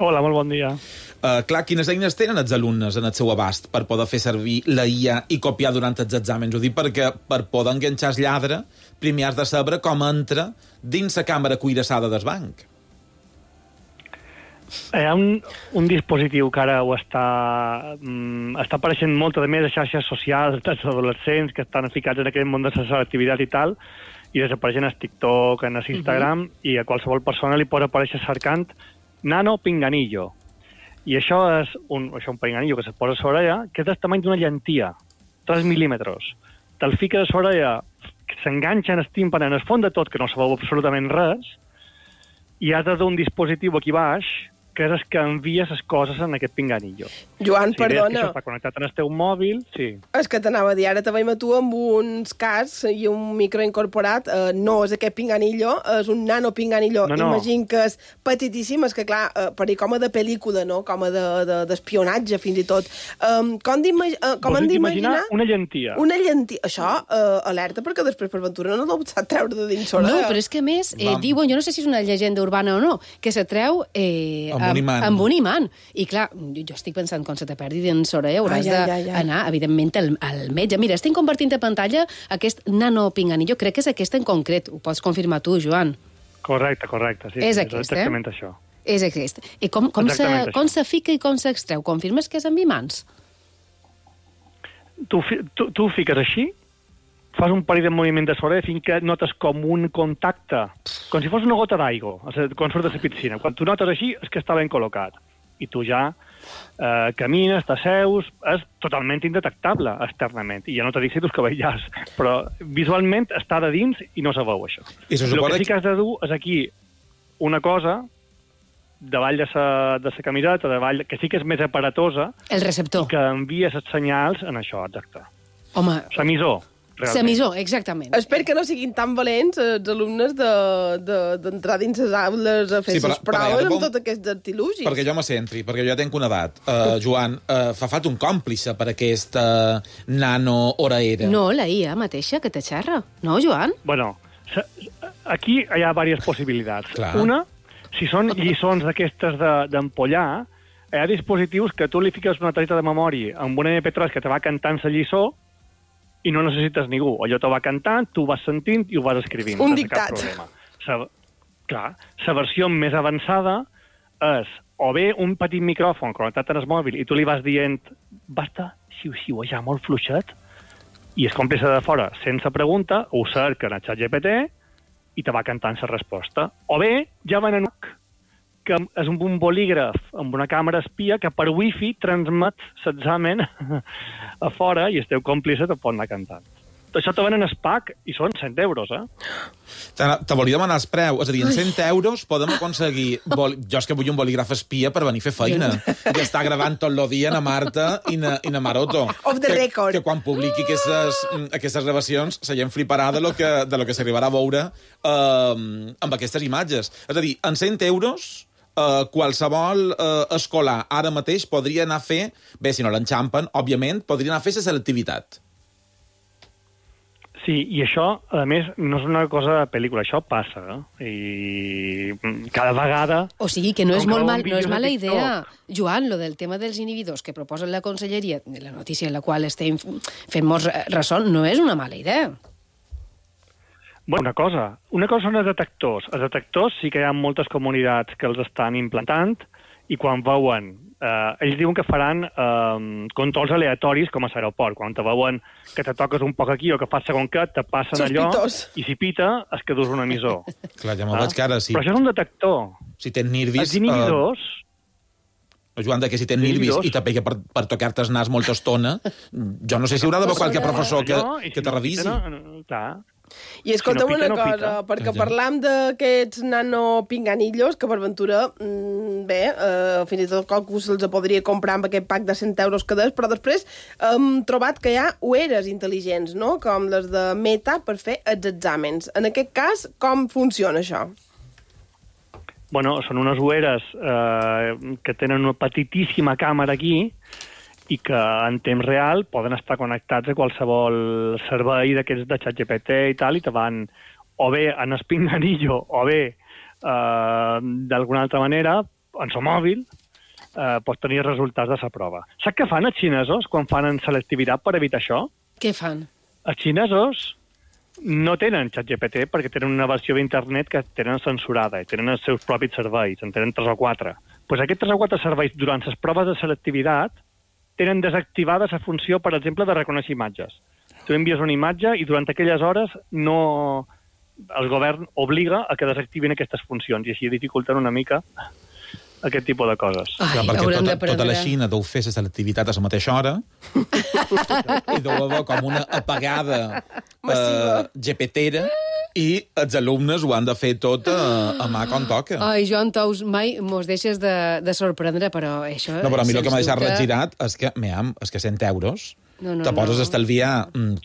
Hola, molt bon dia. Uh, clar, quines eines tenen els alumnes en el seu abast per poder fer servir la I A i copiar durant els exàmens? Ho dic perquè per poder enganxar el lladre primer has de saber com entra dins la càmera cuirassada del banc. Hi ha un, un dispositiu que ara ho està, um, està apareixent molt de més a xarxes socials dels adolescents que estan ficats en aquest món de la selectivitat i tal, i desapareixen a TikTok, en Instagram, uh-huh. i a qualsevol persona li pot aparèixer cercant nano pinganillo. I això és un, això un pinganillo que se posa a l'orella, que és del tamany d'una llentia, tres mil·límetres. Te'l fiques a l'orella, que s'enganxa en el tímpan, en el fons de tot, que no se veu absolutament res, i has de dur un dispositiu aquí baix, que és el que envia les coses en aquest pinganillo. Joan, si perdona. Si això està connectat en el teu mòbil, sí. És que t'anava a dir, ara te veiem a tu amb uns cascs i un micro incorporat. Uh, no és aquest pinganillo, és un nano pinganillo. No, no. Imagino que és petitíssim, és que clar, uh, per dir com a de pel·lícula, no? Com a d'espionatge, de, de, fins i tot. Um, com uh, com hem d'imaginar... una llentia. Una llentia. Això, uh, alerta, perquè després per ventura no l'ho sap treure de dins l'orella. No, però és que a més, eh, diuen, jo no sé si és una llegenda urbana o no, que se treu... Eh, amb un imant. Amb un imant. I clar, jo estic pensant, quan se te perdi dins l'orella, hauràs d'anar, evidentment, al, al metge. Mira, estic compartint a pantalla aquest nano pinganillo. Crec que és aquest en concret. Ho pots confirmar tu, Joan. Correcte, correcte. Sí, és sí, aquest, és exactament eh? això. És aquest. I com, com, se, com se fica i com s'extreu? Confirmes que és amb imants? Tu, tu, tu ho fiques així fas un parell de moviments de sobre fins que notes com un contacte, com si fos una gota d'aigua, quan surt de la piscina. Quan tu notes així, és que està ben col·locat. I tu ja eh, camines, t'asseus, és totalment indetectable externament. I ja no t'he dit si tus cabellars, però visualment està de dins i no se veu això. I se El supone que sí que has de dur és aquí una cosa davall de sa, de sa camiseta, davall, que sí que és més aparatosa. El receptor. I que envia els senyals en això, exacte. Home... S'emissor. Realment. Semissor, exactament. Espero que no siguin tan valents els alumnes d'entrar de, de, dins les aules a fer sí, les proves amb tots aquests artilugis. Perquè jo me centri, perquè jo ja tenc una edat. Uh, Joan, uh, fa falta un còmplice per aquesta nano-oraera. No, la I A mateixa que te xerra. No, Joan? Bueno, aquí hi ha diverses possibilitats. Clar. Una, si són lliçons d'aquestes d'empollar, hi ha dispositius que tu li fiques una targeta de memòria amb una eme pe tres que te va cantant la lliçó i no necessites ningú. Allò te va cantant, tu ho vas sentint i ho vas escrivint. Un dictat. Sa, clar, la versió més avançada és o bé un petit micròfon connectat en el mòbil i tu li vas dient basta, xiu-xiuejar molt fluixet, i el còmplice de fora, sense pregunta, ho cerca en el xat ge pe te i te va cantant la resposta. O bé, ja van en que és un bolígraf amb una càmera espia que per wifi transmet l'examen a fora i el teu còmplice te pot anar cantant. Això te venen el pack i són cent euros, eh? Te, te volia demanar el preu. És a dir, en cent euros podem aconseguir... Bol... Jo és que vull un bolígraf espia per venir a fer feina. I estar gravant tot el dia na Marta i na, i na Maroto. Off the que, record. Que quan publiqui aquestes, aquestes gravacions la gent fliparà de lo que, de lo que s'arribarà a veure eh, amb aquestes imatges. És a dir, en cent euros... Uh, qualsevol uh, escolar ara mateix podria anar a fer, bé, si no l'enxampen, òbviament, podria anar a fer la selectivitat. Sí, i això, a més, no és una cosa de pel·lícula, això passa, eh? I cada vegada... O sigui, que no és, molt mal, no és mala idea. Joan, lo del tema dels inhibidors que proposen la conselleria, la notícia en la qual estem fent molts ressò, no és una mala idea. Bueno, una cosa. Una cosa són els detectors. Els detectors sí que hi ha moltes comunitats que els estan implantant i quan veuen... Eh, ells diuen que faran eh, controls aleatoris com a l'aeroport. Quan te veuen que te toques un poc aquí o que fas segon que, te passen Sospitós. allò i si pita es que dus un emissor. Clar, ja me'l ah? veig que ara sí. Però això és un detector. Si tens nervis... Els inhibidors... Uh... Joan, que si tens nervis i te pega per, per tocar-te el nas molta estona, jo no sé si haurà d'haver qualque professor que, que te revisi. No, no, clar. I escolta'm si no pita, una cosa, no perquè ja. parlam d'aquests nanopinganillos que per ventura, mmm, bé, eh, fins i tot qualcú se'ls podria comprar amb aquest pack de cent euros cada dia, però després hem trobat que hi ha ulleres intel·ligents, no?, com les de Meta per fer els exàmens. En aquest cas, com funciona això? Bueno, són unes ulleres eh, que tenen una petitíssima càmera aquí i que en temps real poden estar connectats a qualsevol servei d'aquests de xat ge pe te i tal, i te van o bé en el pinganillo o bé eh, d'alguna altra manera, en el mòbil, eh, pots tenir resultats de la prova. Saps què fan els xinesos quan fan en selectivitat per evitar això? Què fan? Els xinesos no tenen xat ge pe te perquè tenen una versió d'internet que tenen censurada i tenen els seus propis serveis, en tenen tres o quatre. Pues aquests tres o quatre serveis durant les proves de selectivitat tenen desactivada la funció, per exemple, de reconèixer imatges. Tu envies una imatge i durant aquelles hores no... el govern obliga a que desactivin aquestes funcions i així dificulten una mica aquest tipus de coses. Ai, Clar, perquè tota, prendre... tota la Xina deu fer la selectivitat a la mateixa hora i deu haver com una apagada eh, gepetera i els alumnes ho han de fer tot a, a mà com toca. Ai, Joan Tous, mai mos deixes de, de sorprendre, però això... No, però a mi el que m'ha deixat dubte... regirat és que, meam, és que cent euros no, no, te poses no. a estalviar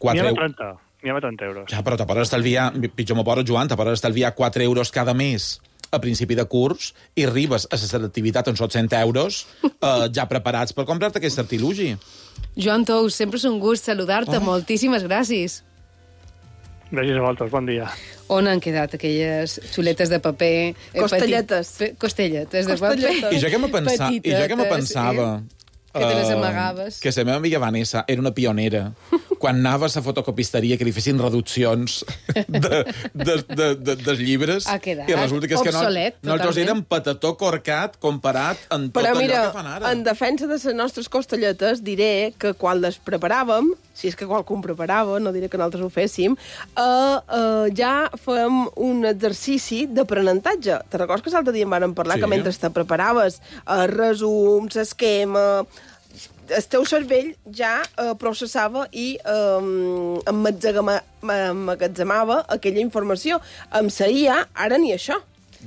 quatre N'hi ha euros. trenta, n'hi ha trenta euros. Ja, però te poses a estalviar, pitjor m'ho poso, Joan, te poses a estalviar quatre euros cada mes a principi de curs i arribes a la selectivitat on són cent euros eh, ja preparats per comprar-te aquest artilugi. Joan Tous, sempre és un gust saludar-te. Oh. Moltíssimes gràcies. Gràcies a vosaltres, bon dia. On han quedat aquelles xuletes de paper... Eh, Costelletes. Petit, costelletes de Costelletes. paper. I jo que me, pensa, i jo que me pensava... Sí. Que te les amagaves. Uh, que la meva amiga Vanessa era una pionera quan anava a la fotocopisteria que li fessin reduccions de, de, de, de, dels llibres ha quedat i resulta que, és que obsolet, no, nosaltres totalment. érem patató corcat comparat amb tot Però allò mira, que fan ara. en defensa de les nostres costelletes, diré que quan les preparàvem, si és que qualcú en preparava, no diré que nosaltres ho féssim, eh, eh, ja fem un exercici d'aprenentatge. Te recordes que l'altre dia en vàrem parlar Sí. que mentre te preparaves eh, resums, esquema, el teu cervell ja eh, processava i eh, emmagatzema- emmagatzemava aquella informació. Amb la I A, ara ni això.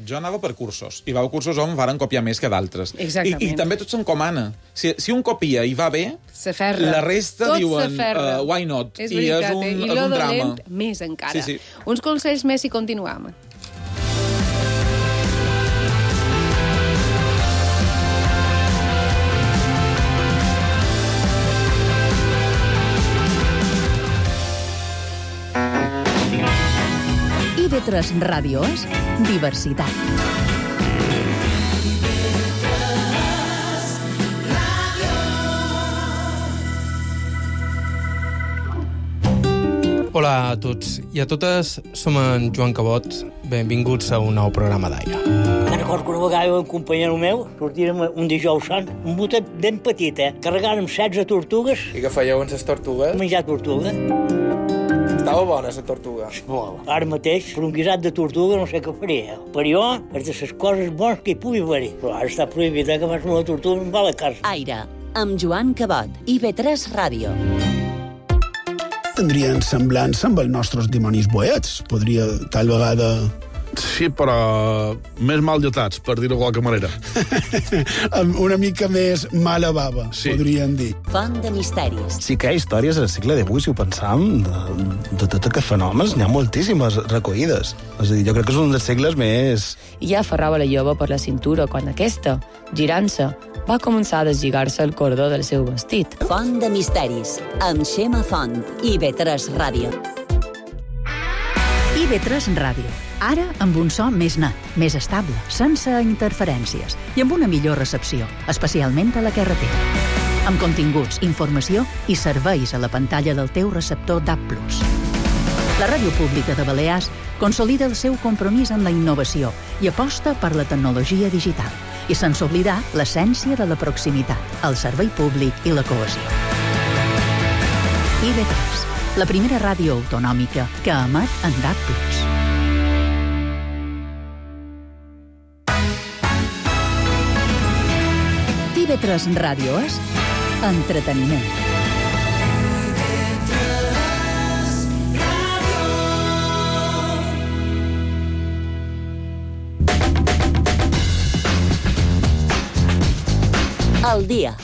Jo anava per cursos, i va a cursos on varen copiar més que d'altres. Exactament. I, I també tot s'encomana. Si, si un copia i va bé, S'aferra. la resta Tot diuen s'aferra. uh, why not? És I veritat, és un, eh? I és lo un drama. dolent, més encara. Sí, sí. Uns consells més i continuam. I V tres Ràdio és diversitat. Hola a tots i a totes, som en Joan Cabot. Benvinguts a un nou programa d'aire. Me'n recordo que una vegada un companyero meu sortirem un dijous sant, un botet ben petit, eh? Carregàrem setze tortugues. I què fèieu amb les tortugues? Menjar tortuga. Estava bona, la tortuga. Molt. Ara mateix, per un guisat de tortuga no sé què faria. Per jo, és de les coses bones que hi pugui haver-hi. Però ara està prohibit, eh, que fas una tortuga amb la casa. Aire, amb Joan Cabot, I V tres Ràdio. Tindrien semblança amb els nostres dimonis boets. Podria, tal vegada... Sí, però més mal dotats, per dir-ho de qualque manera. Amb una mica més mala bava, Sí. podrien dir. Font de misteris. Sí que hi ha històries al segle divuit, si ho pensam, de, de tots aquests fenòmens, n'hi ha moltíssimes recollides. És a dir, jo crec que és un dels segles més... I ja aferrava la jove per la cintura quan aquesta, girant-se, va començar a deslligar-se el cordó del seu vestit. Font de misteris, amb Xema Font, I V tres Ràdio. I V tres Ràdio. Ara amb un so més net, més estable, sense interferències i amb una millor recepció, especialment a la carretera. Amb continguts, informació i serveis a la pantalla del teu receptor D A B plus. La Ràdio Pública de Balears consolida el seu compromís amb la innovació i aposta per la tecnologia digital, i sense oblidar l'essència de la proximitat, el servei públic i la cohesió. I V tres, la primera ràdio autonòmica que emet en D A B plus. I V tres Ràdio és entreteniment. El dia.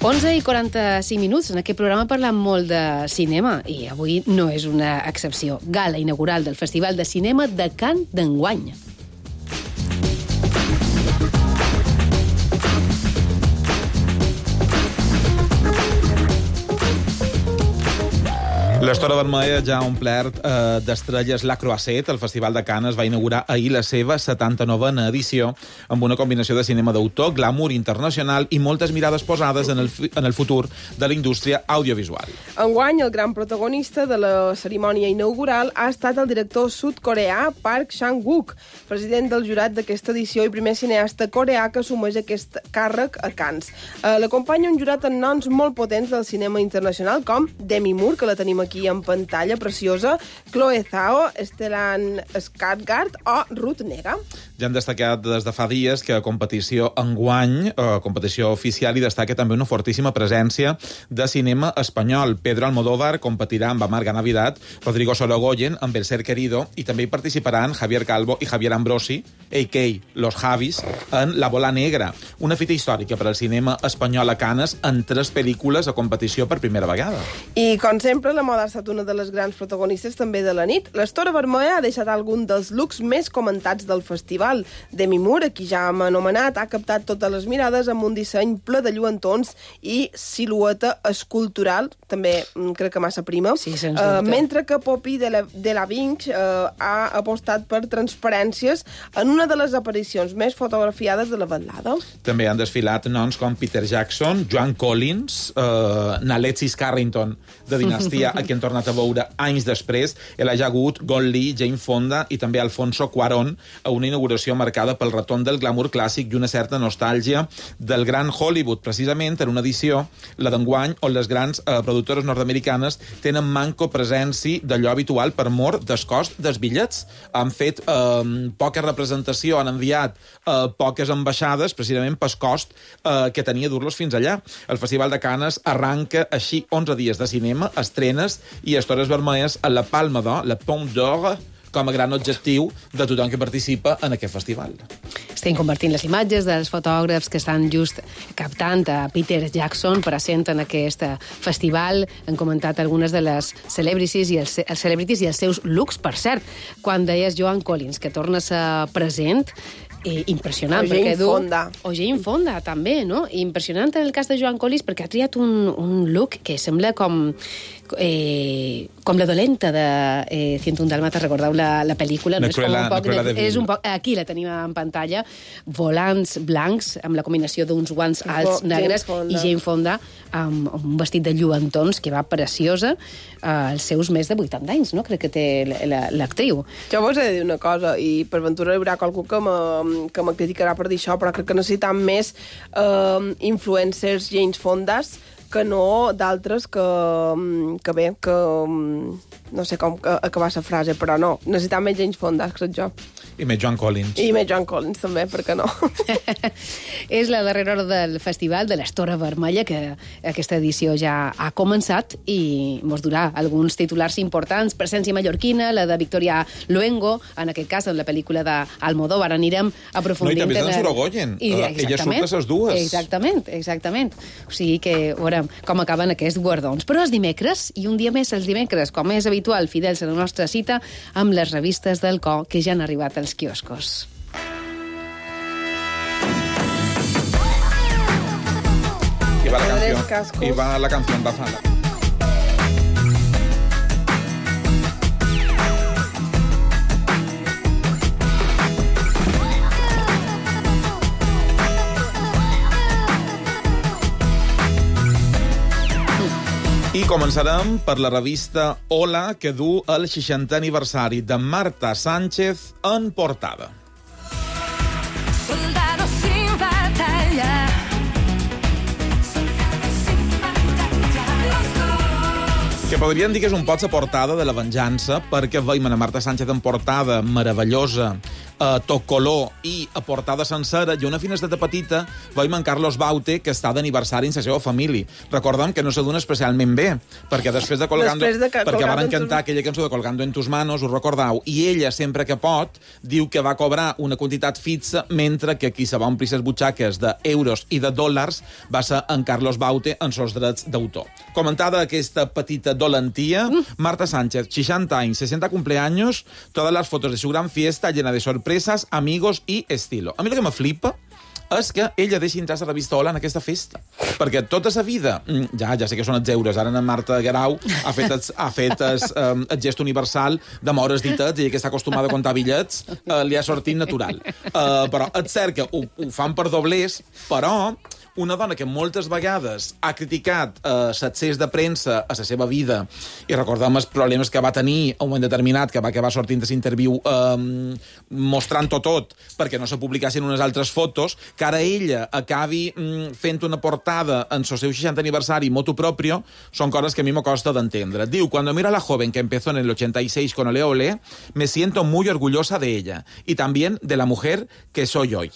onze i quaranta-cinc minuts. En aquest programa parlam molt de cinema i avui no és una excepció. Gala inaugural del Festival de Cinema de Cannes d'enguany. L'Estora Vermella ja ha omplert eh, d'estrelles La Croisette. El Festival de Cannes va inaugurar ahir la seva setanta-novena edició amb una combinació de cinema d'autor, glamour internacional i moltes mirades posades en el, en el futur de la indústria audiovisual. Enguany, el gran protagonista de la cerimònia inaugural ha estat el director sud-coreà Park Chan-wook, president del jurat d'aquesta edició i primer cineasta coreà que assumeix aquest càrrec a Cannes. Eh, L'acompanya un jurat amb noms molt potents del cinema internacional, com Demi Moore, que la tenim aquí en pantalla, preciosa, Chloe Zhao, Stellan Skarsgård o Ruth Negga. Ja han destacat des de fa dies que a competició enguany, a competició oficial, hi destaca també una fortíssima presència de cinema espanyol. Pedro Almodóvar competirà amb Amarga Navidad, Rodrigo Sorogoyen amb El Ser Querido, i també hi participaran Javier Calvo i Javier Ambrosi, a k a. Los Javis, en La Bola Negra, una fita històrica per al cinema espanyol a Cannes en tres pel·lícules a competició per primera vegada. I, com sempre, la moda ha estat una de les grans protagonistes també de la nit. L'Estora Vermella ha deixat algun dels looks més comentats del festival. Demi Moore, qui ja hem anomenat, ha captat totes les mirades amb un disseny ple de lluentons i silueta escultural, també crec que massa prima, sí, sens uh, dubte. mentre que Poppy de la, de la Vinch uh, ha apostat per transparències en una de les aparicions més fotografiades de la vetllada. També han desfilat noms com Peter Jackson, Joan Collins, uh, Alexis Carrington, de Dinastia, a qui hem tornat a veure anys després, Elijah Wood, Gong Li, Jane Fonda i també Alfonso Cuarón, a una inauguració marcada pel retorn del glamour clàssic i una certa nostàlgia del gran Hollywood, precisament en una edició, la d'enguany, on les grans eh, productores nord-americanes tenen manco presència d'allò habitual per mort del cost dels bitllets. Han fet eh, poca representació, han enviat eh, poques ambaixades, precisament pel cost eh, que tenia dur-los fins allà. El Festival de Canes arranca així onze dies de cinema, estrenes i estores vermelles a la Palma d'Or, la Pomme d'Or, com a gran objectiu de tothom que participa en aquest festival. Estem convertint les imatges dels fotògrafs que estan just captant a Peter Jackson present en aquest festival. Han comentat algunes de les celebrities i els, els celebrities i els seus looks. Per cert, quan deies Joan Collins, que torna a ser present, Eh, impressionant. O Jane du... Fonda. O Jane Fonda, també, no? Impressionant en el cas de Joan Collins, perquè ha triat un, un look que sembla com... Eh, com la dolenta de eh, cent un Dàlmates, recordeu la, la pel·lícula? No? La Cruella, és com un poc de, de, és un poc, aquí la tenim en pantalla, volants blancs, amb la combinació d'uns guants alts Jane negres, Fonda. i Jane Fonda amb, amb un vestit de lluentons que va preciosa, eh, als seus més de vuitanta anys, no? Crec que té l'actriu. Jo vos he de dir una cosa, i per ventura hi haurà qualcú que me, que me criticarà per dir això, però crec que necessitam més eh, influencers Jane Fondas que no d'altres que, que bé, que no sé com acabar la frase, però no, necessitam més James Fonda, crec jo. I més Joan Collins. I més Joan Collins, també, per què no? És la darrera hora del festival de l'Estora Vermella, que aquesta edició ja ha començat i mos durà alguns titulars importants. Presència mallorquina, la de Victoria Luengo, en aquest cas, en la pel·lícula d'Almodóvar. Anirem aprofundint... No, i també en d'en Sorogoyen. I, ella surt de les dues. Exactament, exactament. O sigui que veurem com acaben aquests guardons. Però és dimecres, i un dia més els dimecres, com és habitual, fidels a la nostra cita, amb les revistes del Co, que ja han arribat als quioscos. I va la canció, i va la canció embafada. I començarem per la revista Hola, que du el seixantè aniversari de Marta Sánchez en portada. Soldado sin batalla. Que podríem dir que és un pot la portada de la venjança, perquè veiem a Marta Sánchez en portada meravellosa, a tot color i a portada sencera, i una finestreta petita veiem en Carlos Baute, que està d'aniversari en la seva família. Recordem que no se dona especialment bé, perquè després de Colgando... Després de que perquè Colgando van cantar aquella cançó de Colgando en tus manos, us recordeu, i ella, sempre que pot, diu que va cobrar una quantitat fixa, mentre que qui se va omplir les butxaques d'euros i de dòlars va ser en Carlos Baute en els drets d'autor. Comentada aquesta petita dolentia, Marta Sánchez, seixanta anys, sesenta cumpleaños, todas las fotos de su gran fiesta llena de sorpresas, amigos y estilo. A mi el que me flipa és que ella deixi entrar la revista Hola en aquesta festa. Perquè tota sa vida, ja ja sé que són els euros, ara en Marta Guerau ha fet el, ha fet el, um, el gest universal de moure's ditets, i que està acostumada a comptar bitllets, uh, li ha sortit natural. Uh, però és cert que ho, ho fan per doblers, però una dona que moltes vegades ha criticat eh, l'excés de premsa a la seva vida, i recordem els problemes que va tenir a un moment determinat, que va acabar sortint de l'interviu eh, mostrant-ho tot perquè no se publicassin unes altres fotos, que ara ella acabi mm, fent una portada en el seu seixantè aniversari motu propio, són coses que a mi me costa d'entendre. Diu, cuando miro a la joven que empezó en el ochenta y seis con Ole Ole, me siento muy orgullosa de ella y también de la mujer que soy hoy.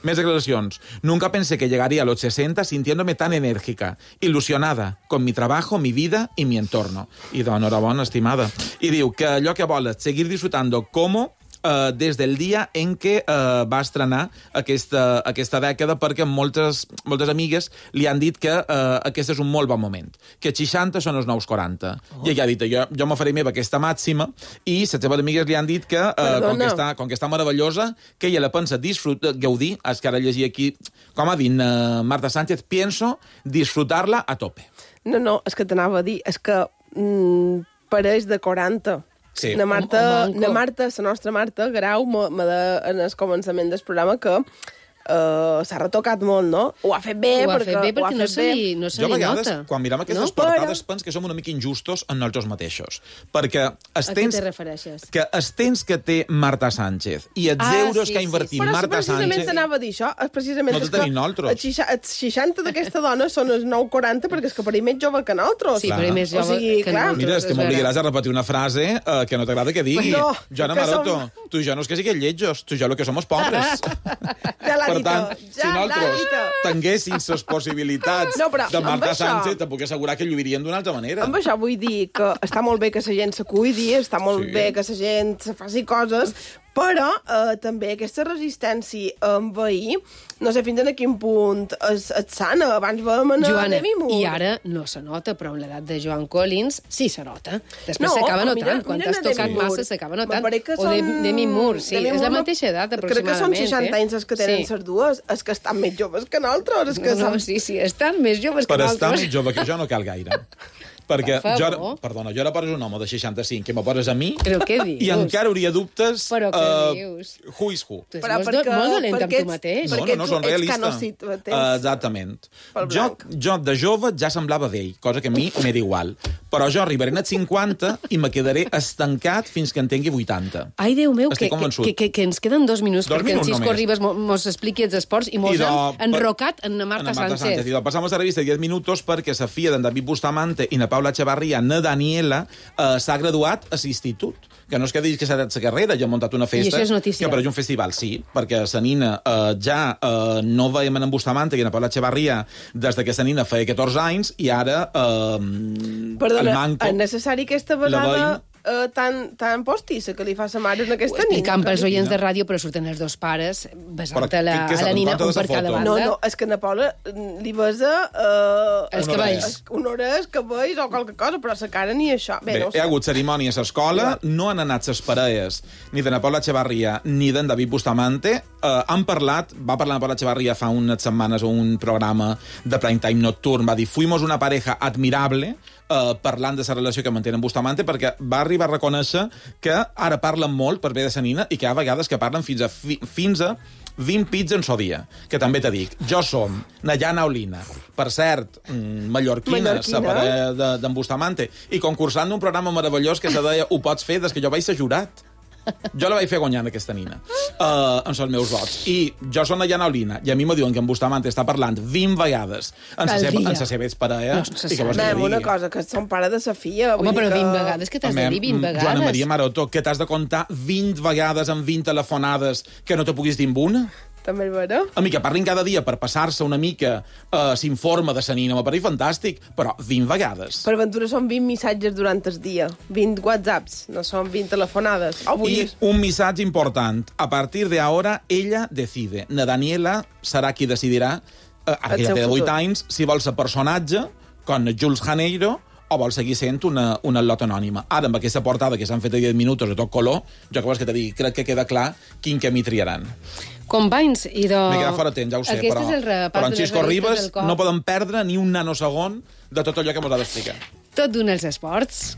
Més declaracions. Nunca pensé que llegaría a los sesenta sintiéndome tan enérgica, ilusionada, con mi trabajo, mi vida y mi entorno. I d'enhorabona, estimada. I diu que allò que vol és seguir disfrutando como uh, des del dia en què uh, va estrenar aquesta, aquesta dècada, perquè moltes, moltes amigues li han dit que uh, aquest és un molt bon moment, que seixanta són els nous quaranta. Oh. I ella ha dit, jo, jo m'ho faré meva aquesta màxima, i les seves amigues li han dit que, uh, com, que està, com que està meravellosa, que ella la pensa disfrutar, gaudir, és que ara llegir aquí, com ha dit uh, Marta Sánchez, pienso disfrutar-la a tope. No, no, és que t'anava a dir, és que mm, pareix de quaranta. Sí. Na Marta, na Marta, la nostra Marta Grau, m'ha de, en el començament del programa, que Uh, s'ha retocat molt, no? Ho ha fet bé, ho ha perquè, fet bé perquè ho ha fet no se li, no se jo a vegades, nota. quan mirem aquestes no? portades, però... pens que som una mica injustos en nosaltres mateixos. Perquè els a temps, què te refereixes? Que els temps que té Marta Sánchez i els ah, euros sí, que ha invertit sí, sí. Però Marta Sánchez... Però precisament t'anava a dir això, és precisament... No te tenim nosaltres. Els seixanta d'aquesta dona són els nou quaranta perquè és que per ell més jove que nosaltres. Sí, per ell més jove o sigui, que nosaltres. Mira, és que m'obligaràs a repetir una frase uh, que no t'agrada que digui. No, Joana Maroto, som... tu i jo no és que siguem lletjos, tu i jo el que som els pobres. Ja l'ha per dit, tant, ja si nosaltres tinguéssim les possibilitats no, de Marta això... Sánchez, te puc assegurar que lluiríem d'una altra manera. Amb això vull dir que està molt bé que la gent se cuidi, està molt sí. bé que la gent se faci coses, però eh, també aquesta resistència a envair, no sé fins a quin punt és, és sana. Abans vam anar a Demi Moore. I ara no se nota, però amb l'edat de Joan Collins sí se nota. Després no, s'acaba notant. Quan t'has tocat massa s'acaba notant. O de Demi Moore, sí. Demi és la mateixa edat, aproximadament. Crec que són seixanta eh? anys els que tenen sí. les dues. És que estan més joves que nosaltres. Que no, no, sí, sí, estan més joves per que nosaltres. Per estar més jove que jo no cal gaire. Perquè jo ara, perdona, jo ara poses un home de seixanta-cinc que me poses a mi però què dius? I encara hauria dubtes però què uh, dius? Who is who. Tu ets però molt, molt dolent amb tu mateix. No, no, no, són realista. Uh, exactament. Jo, jo de jove ja semblava vell, cosa que a mi m'era igual. Però jo arribaré als cinquanta i me quedaré estancat fins que en tingui vuitanta. Ai, Déu meu, que, que, que, que ens queden dos minuts dos perquè minuts en Xisco Ribas mos expliqui els esports i mos I han enrocat en Marta, Marta Sánchez. Sánchez. I passamos a la revista diez minutos perquè la filla d'en David Bustamante i na Paula Echevarría, na Daniela, eh, s'ha graduat a l'institut. Que no és que diguis que s'ha dat la carrera, ja ha muntat una festa... I això és notícia. Que per un festival, sí, perquè la nina eh, ja eh, no veiem en Bustamante i en Paula Echevarría des que la nina feia catorze anys i ara eh, Perdona, el manco... és necessari aquesta vegada... Uh, tan, tan postissa que li fa sa mare en aquesta nina. Explicant pels oients de ràdio, però surten els dos pares besant a la, a la nina un per cada banda. No, no, és que na Paula li besa... Uh, els cabells. Un hores, cabells o qualque cosa, però sa cara ni això. Bé, Bé no hi ha hagut cerimònia a l'escola, no han anat ses parelles ni de na Paula Echevarría ni d'en David Bustamante. Uh, han parlat, va parlar na Paula Echevarría fa unes setmanes a un programa de prime time nocturn, va dir, fuimos una pareja admirable, Uh, parlant de la relació que mantenen Bustamante, perquè va arribar a reconèixer que ara parlen molt per bé de sa nina i que hi ha vegades que parlen fins a, fi, fins a vint pits en so dia. Que també te dic, jo som Nayana Olina, per cert, mmm, mallorquina, la parella d'en Bustamante, i concursant d'un programa meravellós que se deia Ho pots fer des que jo vaig ser jurat. Jo la vaig fer guanyant, aquesta nina, uh, amb els meus vots. I jo soc Nayana Olina, i a mi me diuen que en Bustamante està parlant vint vegades en sa seva, en sa seva exparella. No, i que Anem, una cosa, que són pare de sa filla. Home, però que... vint vegades, que t'has de dir vint vegades? Joana Maria Maroto, que t'has de comptar vint vegades en vint telefonades que no te puguis dir amb una? També és vera. A mi que parlin cada dia per passar-se una mica uh, s'informa de sa nina, m'apareix fantàstic, però vint vegades. Per aventura són vint missatges durant el dia, vint whatsapps, no són vint telefonades. Avui I un missatge important. A partir de ahora, ella decide. Na Daniela serà qui decidirà, uh, ara que ja té divuit anys, si vol ser personatge, com Jules Janeiro, o vol seguir sent una, una lot anònima. Ara, amb aquesta portada que s'han fet a diez minuts de tot color, jo que vols que te digui, crec que queda clar quin camí triaran. Companys, i de... M'he quedat fora temps, ja ho sé, però, però en Xisco Ribas no poden perdre ni un nanosegon de tot allò que mos ha d'explicar. Tot d'un els esports.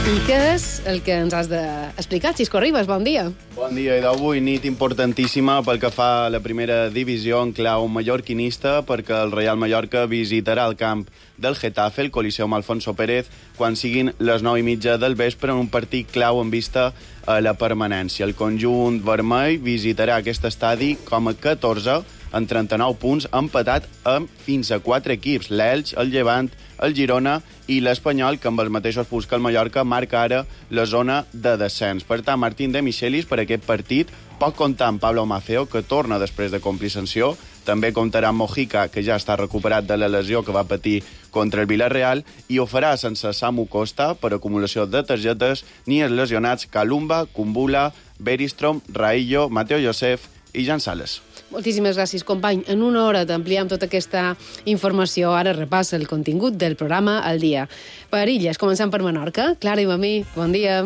I què és el que ens has d'explicar, Xisco Ribas? Bon dia. Bon dia, i d'avui nit importantíssima pel que fa a la primera divisió en clau mallorquinista, perquè el Reial Mallorca visitarà el camp del Getafe, el Coliseum Alfonso Pérez, quan siguin les nou i mitja del vespre en un partit clau en vista a la permanència. El conjunt vermell visitarà aquest estadi com a catorze en trenta-nou punts, empatat amb fins a quatre equips, l'Elx, el Llevant, el Girona i l'Espanyol, que amb els mateixos punts que el Mallorca marca ara la zona de descens. Per tant, Martín de Michelis per aquest partit pot comptar amb Pablo Maceo, que torna després de complir sanció, També comptarà amb Mojica, que ja està recuperat de la lesió que va patir contra el Villarreal, i ho farà sense Samu Costa per acumulació de targetes, ni els lesionats Kalumba, Kumbula, Beristrom, Raillo, Mateo Josef i Jan Sales. Moltíssimes gràcies, company. En una hora t'ampliem tota aquesta informació. Ara repassa el contingut del programa al dia. Per Illes, començant per Menorca. Clara i Mamí, bon dia.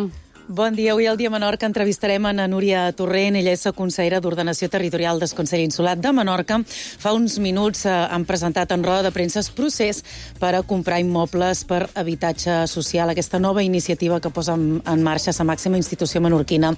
Bon dia. Avui al Dia Menorca entrevistarem a Núria Torrent. Ella és la consellera d'Ordenació Territorial del Consell Insular de Menorca. Fa uns minuts eh, han presentat en roda de premsa el procés per a comprar immobles per habitatge social, aquesta nova iniciativa que posa en, en marxa la màxima institució menorquina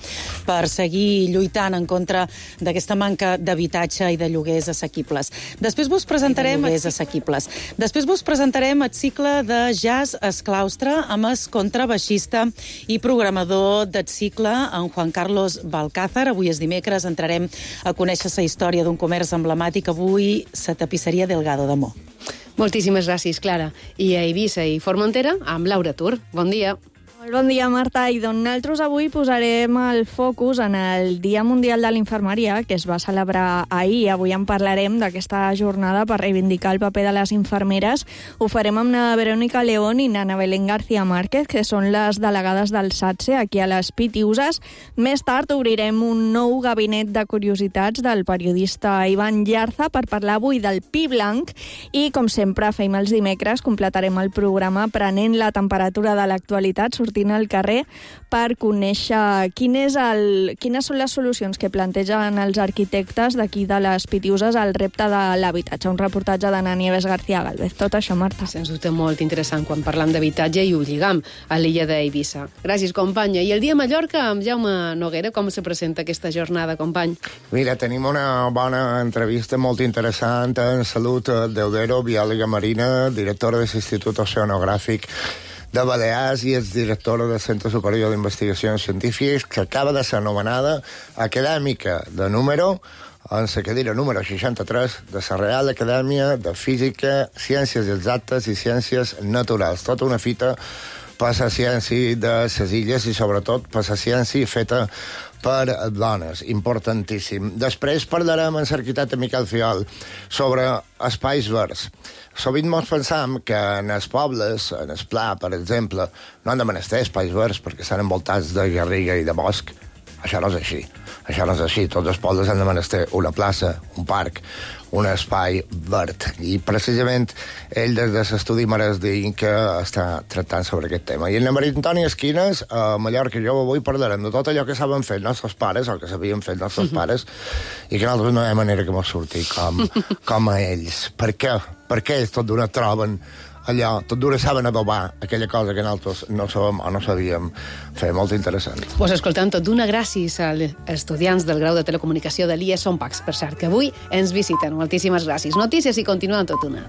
per seguir lluitant en contra d'aquesta manca d'habitatge i de lloguers assequibles. Després vos presentarem... lloguers assequibles. Després vos presentarem el cicle de jazz Esclaustre amb el contrabaixista i programador del cicle, en Juan Carlos Balcázar. Avui és dimecres, entrarem a conèixer la història d'un comerç emblemàtic, avui la tapisseria Delgado de Mo. Moltíssimes gràcies, Clara. I a Eivissa i Formentera, amb Laura Tur. Bon dia. Molt bon dia, Marta. I doncs nosaltres avui posarem el focus en el Dia Mundial de l'Infermeria, que es va celebrar ahir. Avui en parlarem d'aquesta jornada per reivindicar el paper de les infermeres. Ho farem amb na Verònica León i na Ana Belén García Márquez, que són les delegades del SATSE aquí a les Pitiuses. Més tard obrirem un nou gabinet de curiositats del periodista Ivan Llarza per parlar avui del Pi Blanc i, com sempre fem els dimecres, completarem el programa prenent la temperatura de l'actualitat, sortint al carrer per conèixer quin és el, quines són les solucions que plantegen els arquitectes d'aquí de les Pitiuses al repte de l'habitatge. Un reportatge d'Ana Nieves García Galvez. Tot això, Marta. Sens dubte molt interessant quan parlam d'habitatge i ho lligam a l'illa d'Eivissa. Gràcies, companya. I el dia a Mallorca amb Jaume Noguera, com se presenta aquesta jornada, company? Mira, tenim una bona entrevista molt interessant en Salut Deudero, biòloga marina, directora de l'Institut Oceanogràfic de Balears i és directora del Centre Superior d'Investigacions Científiques, que acaba de ser anomenada acadèmica de número en la cadira número seixanta-tres de la Real Acadèmia de Física, Ciències Exactes i Ciències Naturals. Tota una fita per la ciència de les illes i sobretot per la ciència feta per dones, importantíssim. Després parlarem amb l'arquitecte Miquel Fiol sobre espais verds. Sovint ens pensam que en els pobles, en el Pla, per exemple, no han de menester espais verds perquè estan envoltats de garriga i de bosc. Això no és així. Això no és així. Tots els pobles han de menester una plaça, un parc, un espai verd. I precisament ell des de l'estudi Mares d'Inc que està tractant sobre aquest tema. I en la Maria Antònia Esquines, a Mallorca, jo avui parlarem de tot allò que saben fer els nostres pares, o que sabien fer els nostres pares, i que nosaltres no hi ha manera que mos surti com, com a ells. Per què? Per què ells tot d'una troben allò, tot d'una saben adobar aquella cosa que nosaltres no sabem o no sabíem fer. Molt interessant. Vos escoltant tot d'una, gràcies als estudiants del grau de telecomunicació de l'I E S Sompacs, per cert, que avui ens visiten. Moltíssimes gràcies. Notícies i continuem tot una.